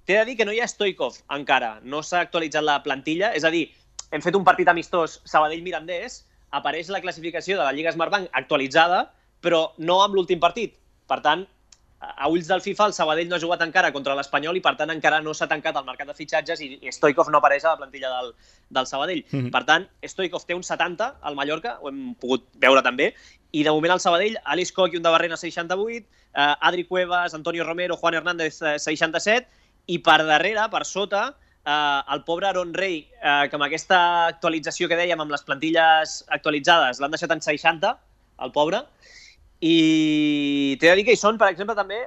T'he de dir que no hi ha Stoikov encara, no s'ha actualitzat la plantilla, és a dir, hem fet un partit amistós Sabadell-Mirandés, apareix la classificació de la Lliga Smartbank actualitzada, però no amb l'últim partit. Per tant, a ulls del FIFA, el Sabadell no ha jugat encara contra l'Espanyol i, per tant, encara no s'ha tancat el mercat de fitxatges i Stoikov no apareix a la plantilla del Sabadell. Per tant, Stoikov té un 70 al Mallorca, ho hem pogut veure també, i de moment al Sabadell, Aleix Koch i Undabarrena 68, Adri Cuevas, Antonio Romero, Juan Hernández 67, i per darrere, per sota, el pobre Aaron Rey, que amb aquesta actualització que dèiem, amb les plantilles actualitzades, l'han deixat en 60, el pobre. I t'he de dir que hi són, per exemple, també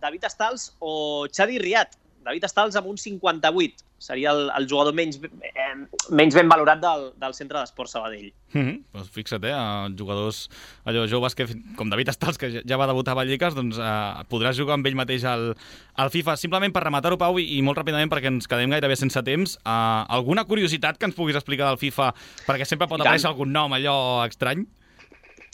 David Stals o Xavi Riat. David Stals amb un 58. Seria el jugador menys ben valorat del centre d'esports Sabadell. Doncs fixa't, jugadors joves com David Stals, que ja va debutar a Vallecas, doncs podràs jugar amb ell mateix al FIFA. Simplement per rematar-ho, Pau, i molt ràpidament perquè ens quedem gairebé sense temps, alguna curiositat que ens puguis explicar del FIFA, perquè sempre pot aparèixer algun nom allò estrany?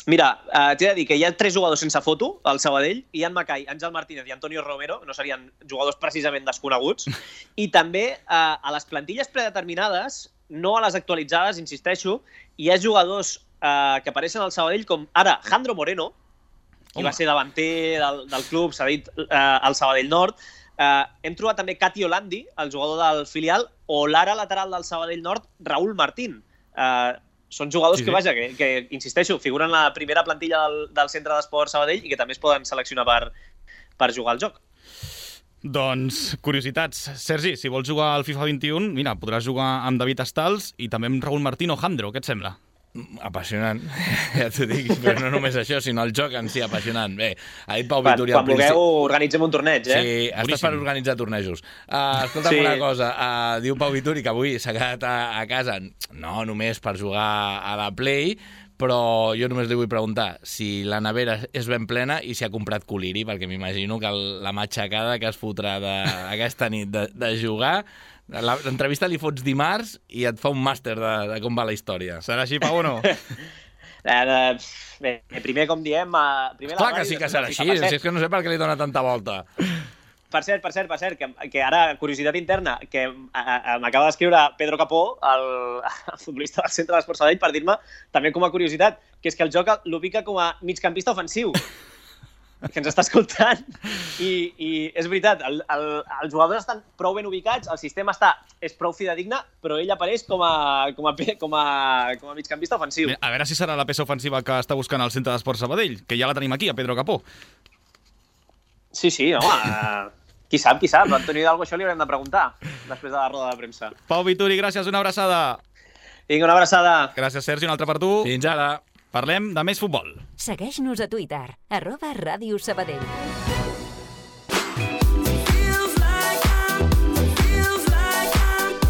Mira, t'he de dir que hi ha 3 jugadors sense foto al Sabadell, Ian Macai, Àngel Martínez i Antonio Romero, no serien jugadors precisament desconeguts, i també a les plantilles predeterminades, no a les actualitzades, insisteixo, hi ha jugadors que apareixen al Sabadell com ara Jandro Moreno, que va ser davanter del club, s'ha dit al Sabadell Nord. Hem trobat també Cati Olandi, el jugador del filial, o l'ara lateral del Sabadell Nord, Raúl Martín. Són jugadors que, vaja, que insisteixo, figuren la primera plantilla del centre d'esports Sabadell i que també es poden seleccionar per jugar al joc. Doncs, curiositats. Sergi, si vols jugar al FIFA 21, mira, podràs jugar amb David Stals i també amb Raúl Martín o Jandro. Què et sembla? Apassionant, ja t'ho dic, però no només això, sinó el joc en si apassionant. Bé, ha dit Pau Vituri al principi... Quan vulgueu, organitzem un torneig, Sí, estàs per organitzar tornejos. Escolta'm una cosa, diu Pau Vituri que avui s'ha quedat a casa, no només per jugar a la Play, però jo només li vull preguntar si la nevera és ben plena i si ha comprat coliri, perquè m'imagino que la matxacada que es fotrà aquesta nit de jugar... L'entrevista li fots dimarts i et fa un màster de com va la història. Serà així, Pau, o no? Bé, primer, com diem... Clar que sí que serà així, si és que no sé per què li dona tanta volta. Per cert, que ara, curiositat interna, que m'acaba d'escriure Pedro Capó, el futbolista del centre d'esports Sabadell, per dir-me, també com a curiositat, que és que el joc l'ubica com a migcampista ofensiu. Que ens està escoltant, i és veritat, els jugadors estan prou ben ubicats, el sistema és prou fidedigne, però ell apareix com a migcampista ofensiu. A veure si serà la peça ofensiva que està buscant el centre d'esports Sabadell, que ja la tenim aquí, a Pedro Capó. Sí, home, qui sap, l'Antoni Hidalgo això li haurem de preguntar després de la roda de premsa. Pau Vituri, gràcies, una abraçada. Vinga, una abraçada. Gràcies, Sergi, un altre per tu. Fins ara. Parlem de més futbol. Segueix-nos a Twitter, @Ràdio Sabadell.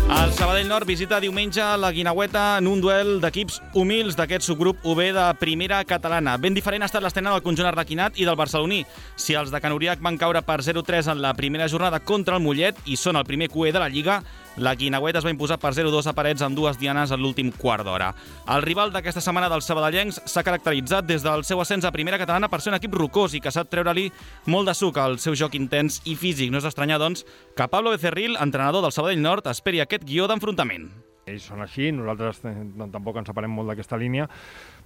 El Sabadell Nord visita diumenge la Guineueta en un duel d'equips humils d'aquest subgrup UB de primera catalana. Ben diferent ha estat l'estrena del conjunt arlequinat i del barceloní. Si els de Can Uriach van caure per 0-3 en la primera jornada contra el Mollet i són el primer QE de la Lliga, la Guineueta es va imposar per 0-2 a Parets amb 2 dianes en l'últim quart d'hora. El rival d'aquesta setmana dels sabadellencs s'ha caracteritzat des del seu ascens a primera catalana per ser un equip rocós i que sap treure-li molt de suc al seu joc intens i físic. No és d'estranyar, doncs, que Pablo Becerril, entrenador del Sabadell Nord, esperi aquest guió d'enfrontament. Ells són així, nosaltres tampoc ens separem molt d'aquesta línia.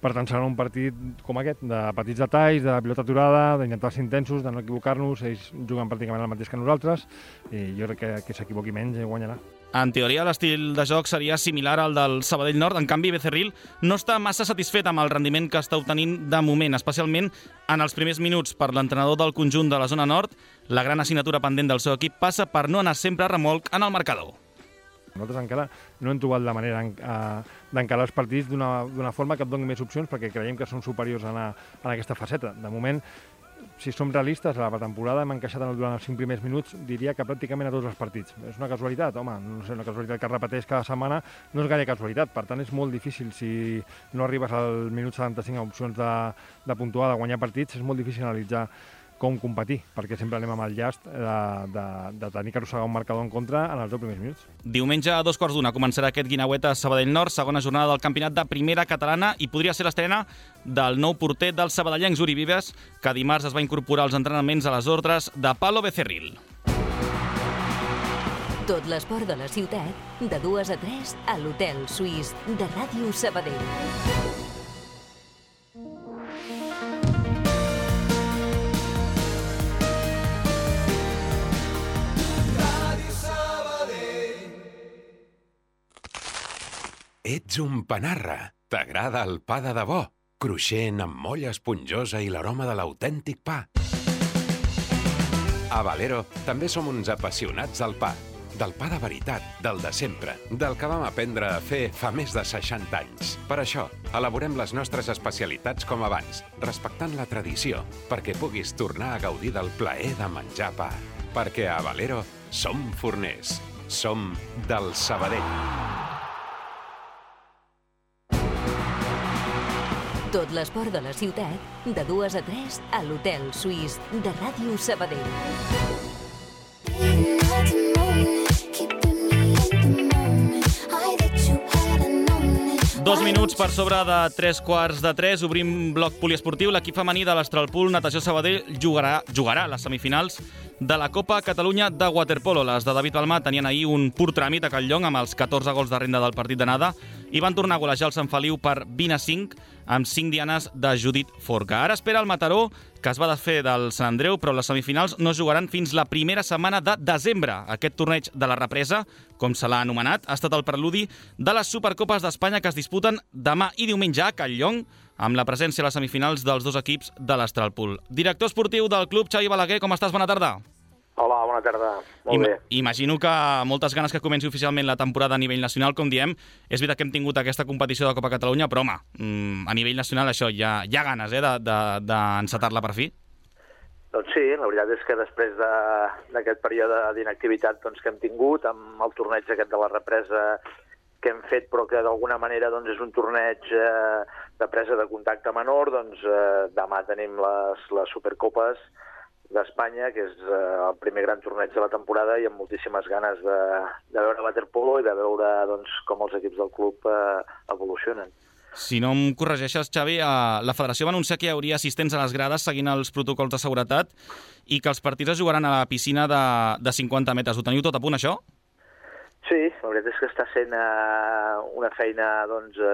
Per tant, serà un partit com aquest, de petits detalls, de pilota aturada, d'intentar ser intensos, de no equivocar-nos. Ells juguen pràcticament el mateix que nosaltres i jo crec que s'equivoqui menys i guanyarà. En teoria, l'estil de joc seria similar al del Sabadell Nord. En canvi, Becerril no està massa satisfet amb el rendiment que està obtenint de moment, especialment en els primers minuts. Per l'entrenador del conjunt de la zona nord, la gran assignatura pendent del seu equip passa per no anar sempre a remolc en el marcador. Nosaltres encara no hem trobat la manera d'encarar els partits d'una forma que et doni més opcions perquè creiem que són superiors en aquesta faceta. De moment, si som realistes, a la pretemporada hem encaixat durant els 5 primers minuts, diria que pràcticament a tots els partits. És una casualitat? Home, no sé, una casualitat que es repeteix cada setmana no és gaire casualitat. Per tant, és molt difícil, si no arribes al minut 75 a opcions de puntuar, de guanyar partits, és molt difícil analitzar com competir, perquè sempre anem amb el llast de tenir que arrossegar un marcador en contra en els 10 primers minuts. Diumenge a 2:15 començarà aquest Guineueta Sabadell Nord, segona jornada del campionat de primera catalana, i podria ser l'estrena del nou porter dels sabadellencs, Uri Vives, que dimarts es va incorporar als entrenaments a les ordres de Pablo Becerril. Tot l'esport de la ciutat, de 2 a 3 a l'Hotel Suís de Ràdio Sabadell. Ets un panarra. T'agrada el pa de debò, cruixent amb molla esponjosa i l'aroma de l'autèntic pa. A Valero també som uns apassionats del pa. Del pa de veritat, del de sempre, del que vam aprendre a fer fa més de 60 anys. Per això, elaborem les nostres especialitats com abans, respectant la tradició, perquè puguis tornar a gaudir del plaer de menjar pa. Perquè a Valero som forners. Som del Sabadell. Tot l'esport de la ciutat, de 2 a 3 a l'Hotel Suís de Ràdio Sabadell. 2 minuts per sobre de 3:15. Obrim bloc poliesportiu. L'equip femení de l'Astralpool Natació Sabadell jugarà les semifinals de la Copa Catalunya de waterpolo. Les de David Balmà tenien ahir un pur tràmit a Catlllong amb els 14 gols de renda del partit d'anada i van tornar a golejar el Sant Feliu per 20-5 amb 5 dianes de Judit Forca. Ara espera el Mataró, que es va desfer del Sant Andreu, però les semifinals no es jugaran fins la primera setmana de desembre. Aquest torneig de la represa, com se l'ha anomenat, ha estat el preludi de les Supercopes d'Espanya que es disputen demà i diumenge a Catlllong, amb la presència a les semifinals dels dos equips de l'Astralpool. Director esportiu del club, Xavi Balaguer, com estàs? Bona tarda. Hola, bona tarda. Molt bé. Imagino que moltes ganes que comenci oficialment la temporada a nivell nacional, com diem. És veritat que hem tingut aquesta competició de Copa Catalunya, però, home, a nivell nacional això, hi ha ganes d'encetar-la per fi? Doncs sí, la veritat és que després d'aquest període d'inactivitat que hem tingut, amb el torneig aquest de la represa que hem fet, però que d'alguna manera és un torneig de presa de contacte menor, demà tenim les Supercopes d'Espanya, que és el primer gran torneig de la temporada, i amb moltíssimes ganes de veure waterpolo i de veure com els equips del club evolucionen. Si no em corregeixes, Xavi, la federació va anunciar que hi hauria assistents a les grades seguint els protocols de seguretat i que els partits es jugaran a la piscina de 50 metres. Ho teniu tot a punt, això? Sí, la veritat és que està sent una feina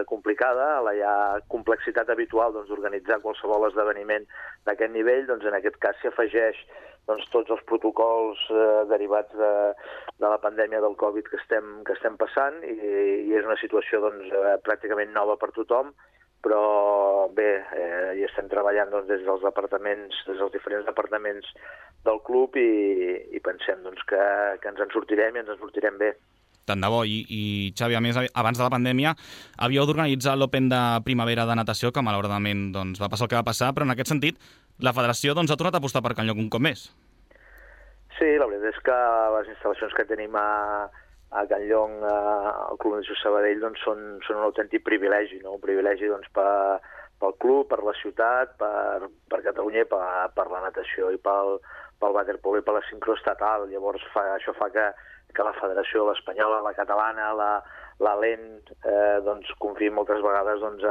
complicada. La ja complexitat habitual d'organitzar qualsevol esdeveniment d'aquest nivell, en aquest cas s'hi afegeix tots els protocols derivats de la pandèmia del Covid que estem passant, i és una situació pràcticament nova per tothom, però bé, hi estem treballant des dels departaments, des dels diferents departaments del club, i pensem que ens en sortirem i ens en sortirem bé. tant de bo. I Xavi, a més, abans de la pandèmia, havíeu d'organitzar l'Open de primavera de natació, que malauradament doncs, va passar el que va passar, però en aquest sentit la federació doncs, ha tornat a apostar per Can Lloc un cop més. Sí, la veritat és que les instal·lacions que tenim a Can Lloc, al Club Natació Sabadell, doncs, són un autèntic privilegi, no? Un privilegi doncs, pel club, per la ciutat, per Catalunya i per la natació i pel waterpolo i per la sincroestatal. Llavors això fa que la federació, l'espanyola, la catalana, la LEN, doncs, confiï moltes vegades doncs,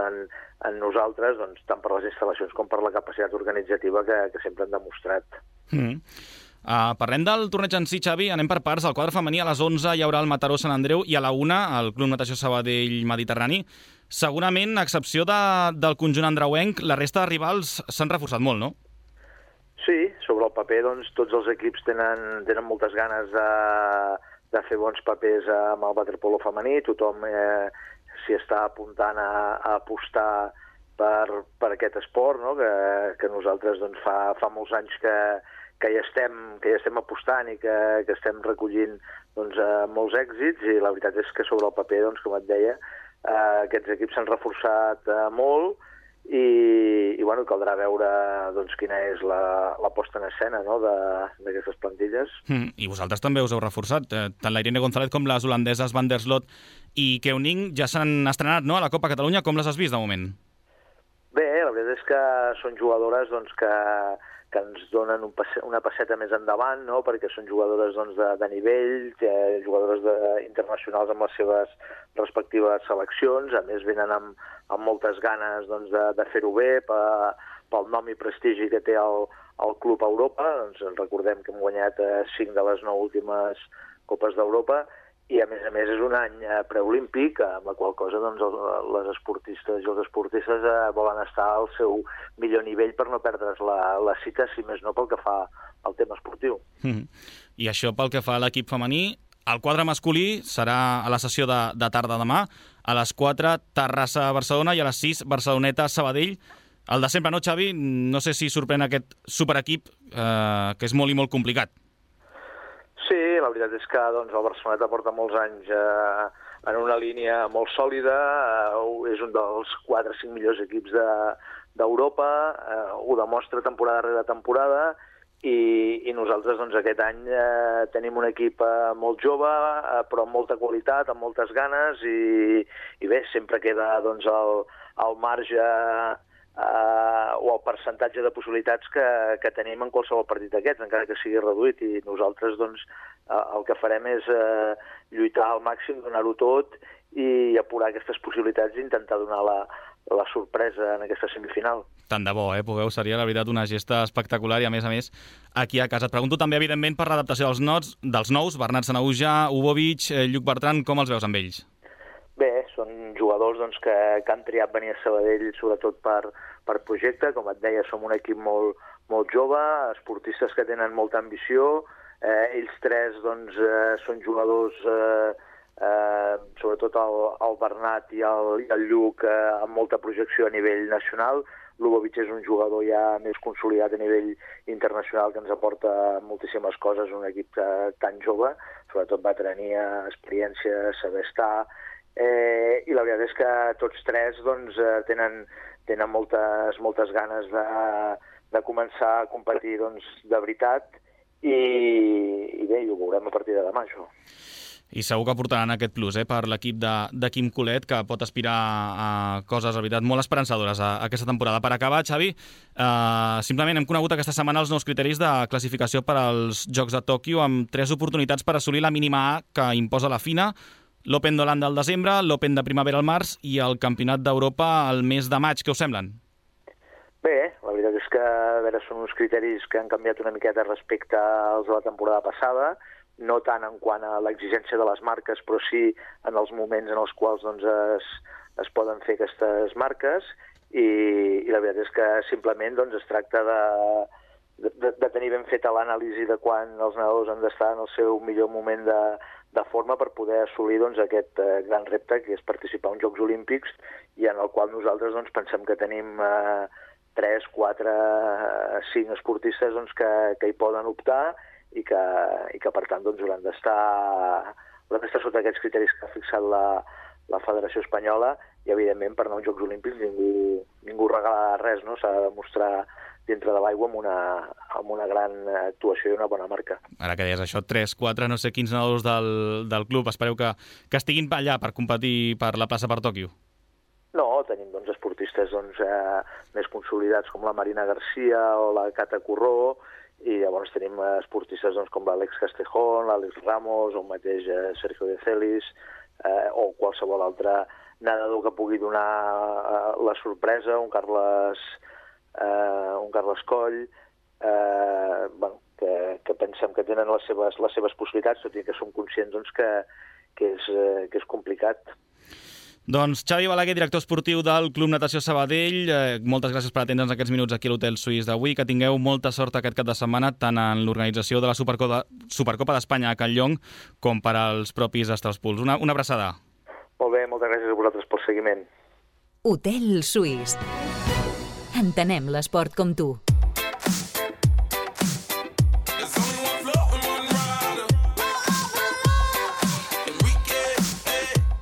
en nosaltres, doncs, tant per les instal·lacions com per la capacitat organitzativa que sempre han demostrat. Parlem del torneig en si, Xavi, anem per parts. Al quadre femení a les 11 hi haurà el Mataró Sant Andreu i a la 1 el Club Natació Sabadell Mediterrani. Segurament, a excepció del conjunt andreuenc, la resta de rivals s'han reforçat molt, no? Sí, sobre el paper doncs, tots els equips tenen moltes ganes de fer bons papers amb el waterpolo femení. Tothom s'hi està apuntant a apostar per aquest esport, no? que nosaltres doncs, fa molts anys que hi estem apostant i que estem recollint doncs, molts èxits, i la veritat és que sobre el paper, doncs, com et deia, aquests equips s'han reforçat molt i bueno, caldrà veure doncs, quina és la posta en escena, no? d'aquestes plantilles. I vosaltres també us heu reforçat. Tant la Irene González com les holandeses Van der Slot i Keuning ja s'han estrenat, no? A la Copa Catalunya. Com les has vist de moment? Bé, la veritat és que són jugadores doncs, que ens donen una passeta més endavant, no? Perquè són jugadores doncs, de nivell, jugadores internacionals amb les seves respectives seleccions. A més, venen amb moltes ganes doncs, de fer-ho bé pel nom i prestigi que té el Club a Europa. Doncs, recordem que hem guanyat 5 de les 9 últimes Copes d'Europa, i a més és un any preolímpic, amb la qual cosa doncs, les esportistes i els esportistes volen estar al seu millor nivell per no perdre's la cita, si més no pel que fa al tema esportiu. I això pel que fa a l'equip femení. El quadre masculí serà a la sessió de tarda demà, a les 4 Terrassa-Barcelona i a les 6 Barceloneta-Sabadell. El de sempre, no, Xavi? No sé si sorprèn aquest superequip, que és molt i molt complicat. Sí, la veritat és que doncs, el Barceloneta porta molts anys en una línia molt sòlida, és un dels 4 o 5 millors equips d'Europa, ho demostra temporada rere temporada, i nosaltres doncs, aquest any tenim un equip molt jove, però amb molta qualitat, amb moltes ganes, i bé, sempre queda doncs, el marge o el percentatge de possibilitats que tenim en qualsevol partit d'aquests, encara que sigui reduït, i nosaltres doncs, el que farem és lluitar al màxim, donar-ho tot i apurar aquestes possibilitats i intentar donar la sorpresa en aquesta semifinal. Tant de bo, pugueu, seria la veritat una gesta espectacular, i a més, aquí a casa. Et pregunto també, evidentment, per l'adaptació dels nous, Bernat Sanahuja, Ubovic, Lluc Bertran, com els veus amb ells? Bé, són jugadors doncs, que han triat venir a Sabadell sobretot per projecte. Com et deia, som un equip molt jove, esportistes que tenen molta ambició. Ells tres doncs, són jugadors, sobretot el Bernat i el Lluc, amb molta projecció a nivell nacional. L'Ubovic és un jugador ja més consolidat a nivell internacional que ens aporta moltíssimes coses, un equip tan jove, sobretot veterania, experiència, saber estar. I la veritat és que tots tres doncs, tenen moltes ganes de començar a competir doncs, de veritat, i bé, ho veurem a partir de demà, això. I segur que portaran aquest plus per l'equip de Quim Colet, que pot aspirar a coses, la veritat, molt esperançadores aquesta temporada. Per acabar, Xavi, simplement hem conegut aquesta setmana els nous criteris de classificació per als Jocs de Tòquio, amb 3 oportunitats per assolir la mínima A que imposa la FINA, l'Open d'Holanda al desembre, l'Open de primavera al març i el Campionat d'Europa al mes de maig. Què us semblen? Bé, la veritat és que són uns criteris que han canviat una miqueta respecte als de la temporada passada, no tant en quant a l'exigència de les marques, però sí en els moments en els quals doncs, es poden fer aquestes marques, i la veritat és que simplement doncs, es tracta de tenir ben feta l'anàlisi de quan els nedadors han d'estar en el seu millor moment de forma per poder assolir doncs, aquest gran repte que és participar en Jocs Olímpics, i en el qual nosaltres doncs, pensem que tenim 3, 4, 5 esportistes doncs, que hi poden optar i que per tant doncs, hauran d'estar Però està sota aquests criteris que ha fixat la Federació Espanyola i, evidentment, per anar als Jocs Olímpics ningú regala res, no? S'ha de demostrar dintre de l'aigua amb una gran actuació i una bona marca. Ara que deies això, 3, 4, no sé quins nedadors del club espereu que estiguin allà per competir per la plaça per Tòquio? No, tenim esportistes més consolidats com la Marina García o la Cata Corró, i llavors tenim esportistes com l'Àlex Castejón, l'Àlex Ramos, o el mateix Sergio de Celis, o qualsevol altre nedador que pugui donar la sorpresa, un Carles Coll, que pensem que tenen les seves possibilitats, tot i que som conscients que és complicat. Doncs Xavi Balaguer, director esportiu del Club Natació Sabadell, moltes gràcies per atendre'ns aquests minuts aquí a l'Hotel Suís d'avui, que tingueu molta sort aquest cap de setmana, tant en l'organització de la Supercopa d'Espanya a Catlllong com per als propis Estraspuls. Una abraçada. Molt bé, moltes gràcies a vosaltres pel seguiment. Hotel Suís. Entenem l'esport com tu.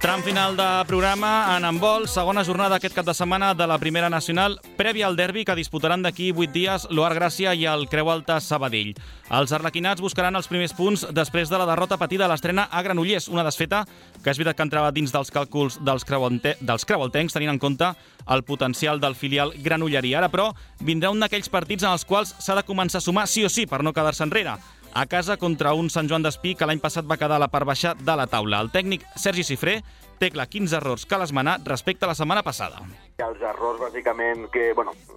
Tram final de programa en handbol, segona jornada aquest cap de setmana de la Primera Nacional, prèvia al derbi que disputaran d'aquí 8 dies l'Oar Gràcia i el Creu Alta Sabadell. Els arlequinats buscaran els primers punts després de la derrota patida a l'estrena a Granollers, una desfeta que és veritat que entrava dins dels càlculs dels creualtencs, tenint en compte el potencial del filial granollerí. Ara, però, vindrà un d'aquells partits en els quals s'ha de començar a sumar sí o sí per no quedar-se enrere. A casa contra un Sant Joan d'Espí que l'any passat va quedar a la part baixa de la taula. El tècnic Sergi Cifré té clar quins errors cal esmenar respecte a la setmana passada. Els errors, bàsicament,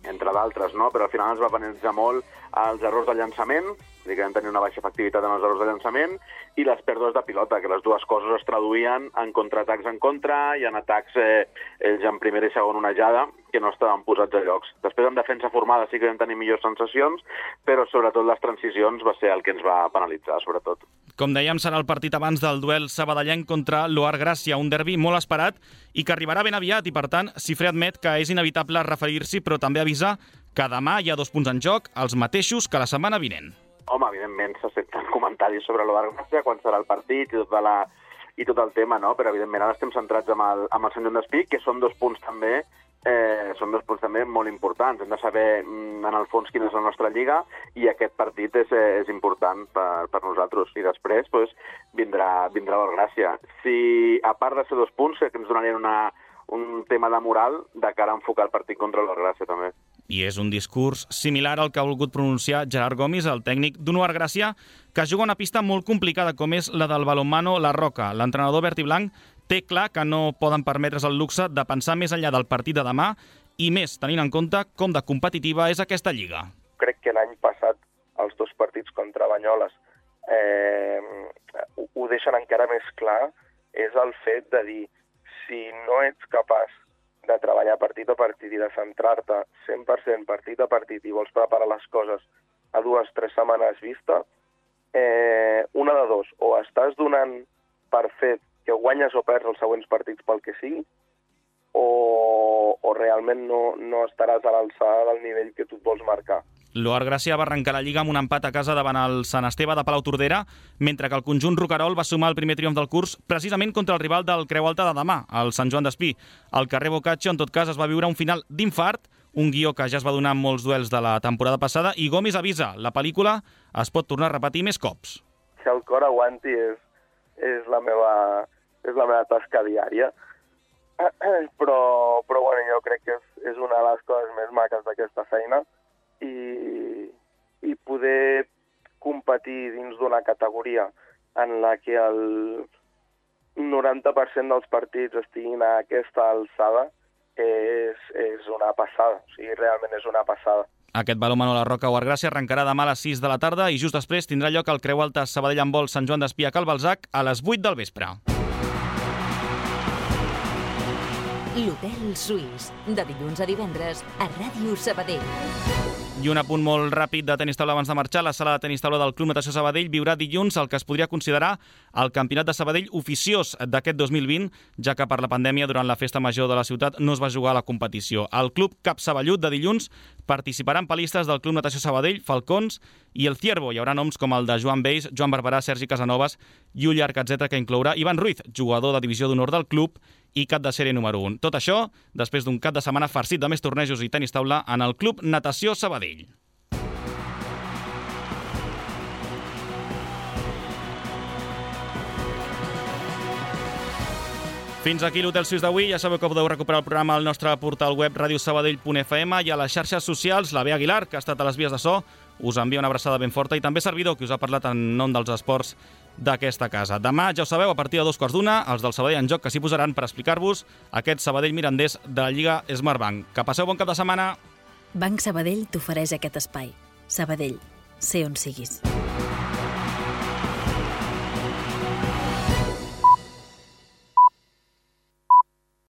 entre d'altres, no? Però al final ens va penalitzar molt els errors de llançament, que vam tenir una baixa efectivitat en els errors de llançament, i les pèrdues de pilota, que les dues coses es traduïen en contraatacs en contra i en atacs ells en primera i segona onejada, que no estaven posats a llocs. Després, en defensa formada sí que vam tenir millors sensacions, però sobretot les transicions va ser el que ens va penalitzar, sobretot. Com dèiem, serà el partit abans del duel sabadellenc contra l'Oar Gràcia, un derbi molt esperat i que arribarà ben aviat, i per tant, Cifré admet que és inevitable referir-s'hi, però també avisa que demà hi ha 2 punts en joc, els mateixos que la setmana vinent. Home, evidentment, se senten comentaris sobre l'Oar Gràcia, quan serà el partit i tot el tema, no? Però evidentment ara estem centrats amb el Sant Joan d'Espí, que són 2 punts també molt importants. Hem de saber, en el fons, quina és la nostra lliga, i aquest partit és important per nosaltres. I després vindrà l'Oar Gràcia. Si, a part de ser 2 punts, que ens donarien un tema de moral de cara a enfocar el partit contra l'Oar Gràcia, també. I és un discurs similar al que ha volgut pronunciar Gerard Gomis, el tècnic d'un Oar Gràcia, que juga una pista molt complicada, com és la del balonmano La Roca. L'entrenador verd i blanc té clar que no poden permetre's el luxe de pensar més enllà del partit de demà, i més tenint en compte com de competitiva és aquesta lliga. Crec que l'any passat els 2 partits contra Banyoles ho deixen encara més clar, és el fet de dir, si no ets capaç de treballar partit a partit i de centrar-te 100% partit a partit i vols preparar les coses a 2 o 3 setmanes vista, una de 2, o estàs donant per fet que guanyes o perds els següents partits pel que sigui, o realment no estaràs a l'alçada del nivell que tu et vols marcar. L'Oar Gràcia va arrencar la Lliga amb un empat a casa davant el Sant Esteve de Palautordera, mentre que el conjunt roquerol va sumar el primer triomf del curs precisament contra el rival del Creu Alta de demà, el Sant Joan d'Espí. Al carrer Boccaccio, en tot cas, es va viure un final d'infart, un guió que ja es va donar en molts duels de la temporada passada, i Gomis avisa, la pel·lícula es pot tornar a repetir més cops. Que el cor aguanti és la meva tasca diària, però bueno, jo crec que és una de les coses més maques d'aquesta feina, i poder competir dins d'una categoria en la que el 90% dels partits estiguin a aquesta alçada és una passada, o sigui, realment és una passada. Aquest balonmano La Roca Oar Gràcia arrencarà demà a les 6 de la tarda i just després tindrà lloc el Creu Alta Sabadell handbol Sant Joan d'Espí a Cal Balzac a les 8 del vespre. L'Hotel Suís, de dilluns a divendres a Ràdio Sabadell. I un apunt molt ràpid de tenis taula abans de marxar. La sala de tenis taula del Club Natació Sabadell viurà dilluns el que es podria considerar el Campionat de Sabadell oficiós d'aquest 2020, ja que per la pandèmia durant la festa major de la ciutat no es va jugar a la competició. El Club Cap Saballut de dilluns participaran palistes del Club Natació Sabadell, Falcons i el Ciervo. Hi haurà noms com el de Joan Beis, Joan Barberà, Sergi Casanovas i un llarg etcètera que inclourà Ivan Ruiz, jugador de divisió d'honor del club i cap de sèrie número 1. Tot això després d'un cap de setmana farcit de més tornejos i tenis taula en el Club Natació Sabadell. Fins aquí l'Hotel Suís d'avui. Ja sabeu que podeu recuperar el programa al nostre portal web radiosabadell.fm i a les xarxes socials. La Bea Aguilar, que ha estat a les vies de so, us envia una abraçada ben forta i també servidor, que us ha parlat en nom dels esports d'aquesta casa. Demà, ja ho sabeu, a partir de 2:15, els del Sabadell en joc que s'hi posaran per explicar-vos aquest Sabadell-Mirandés de la Lliga Smartbank. Que passeu bon cap de setmana. Banc Sabadell t'ofereix aquest espai. Sabadell, sé on siguis.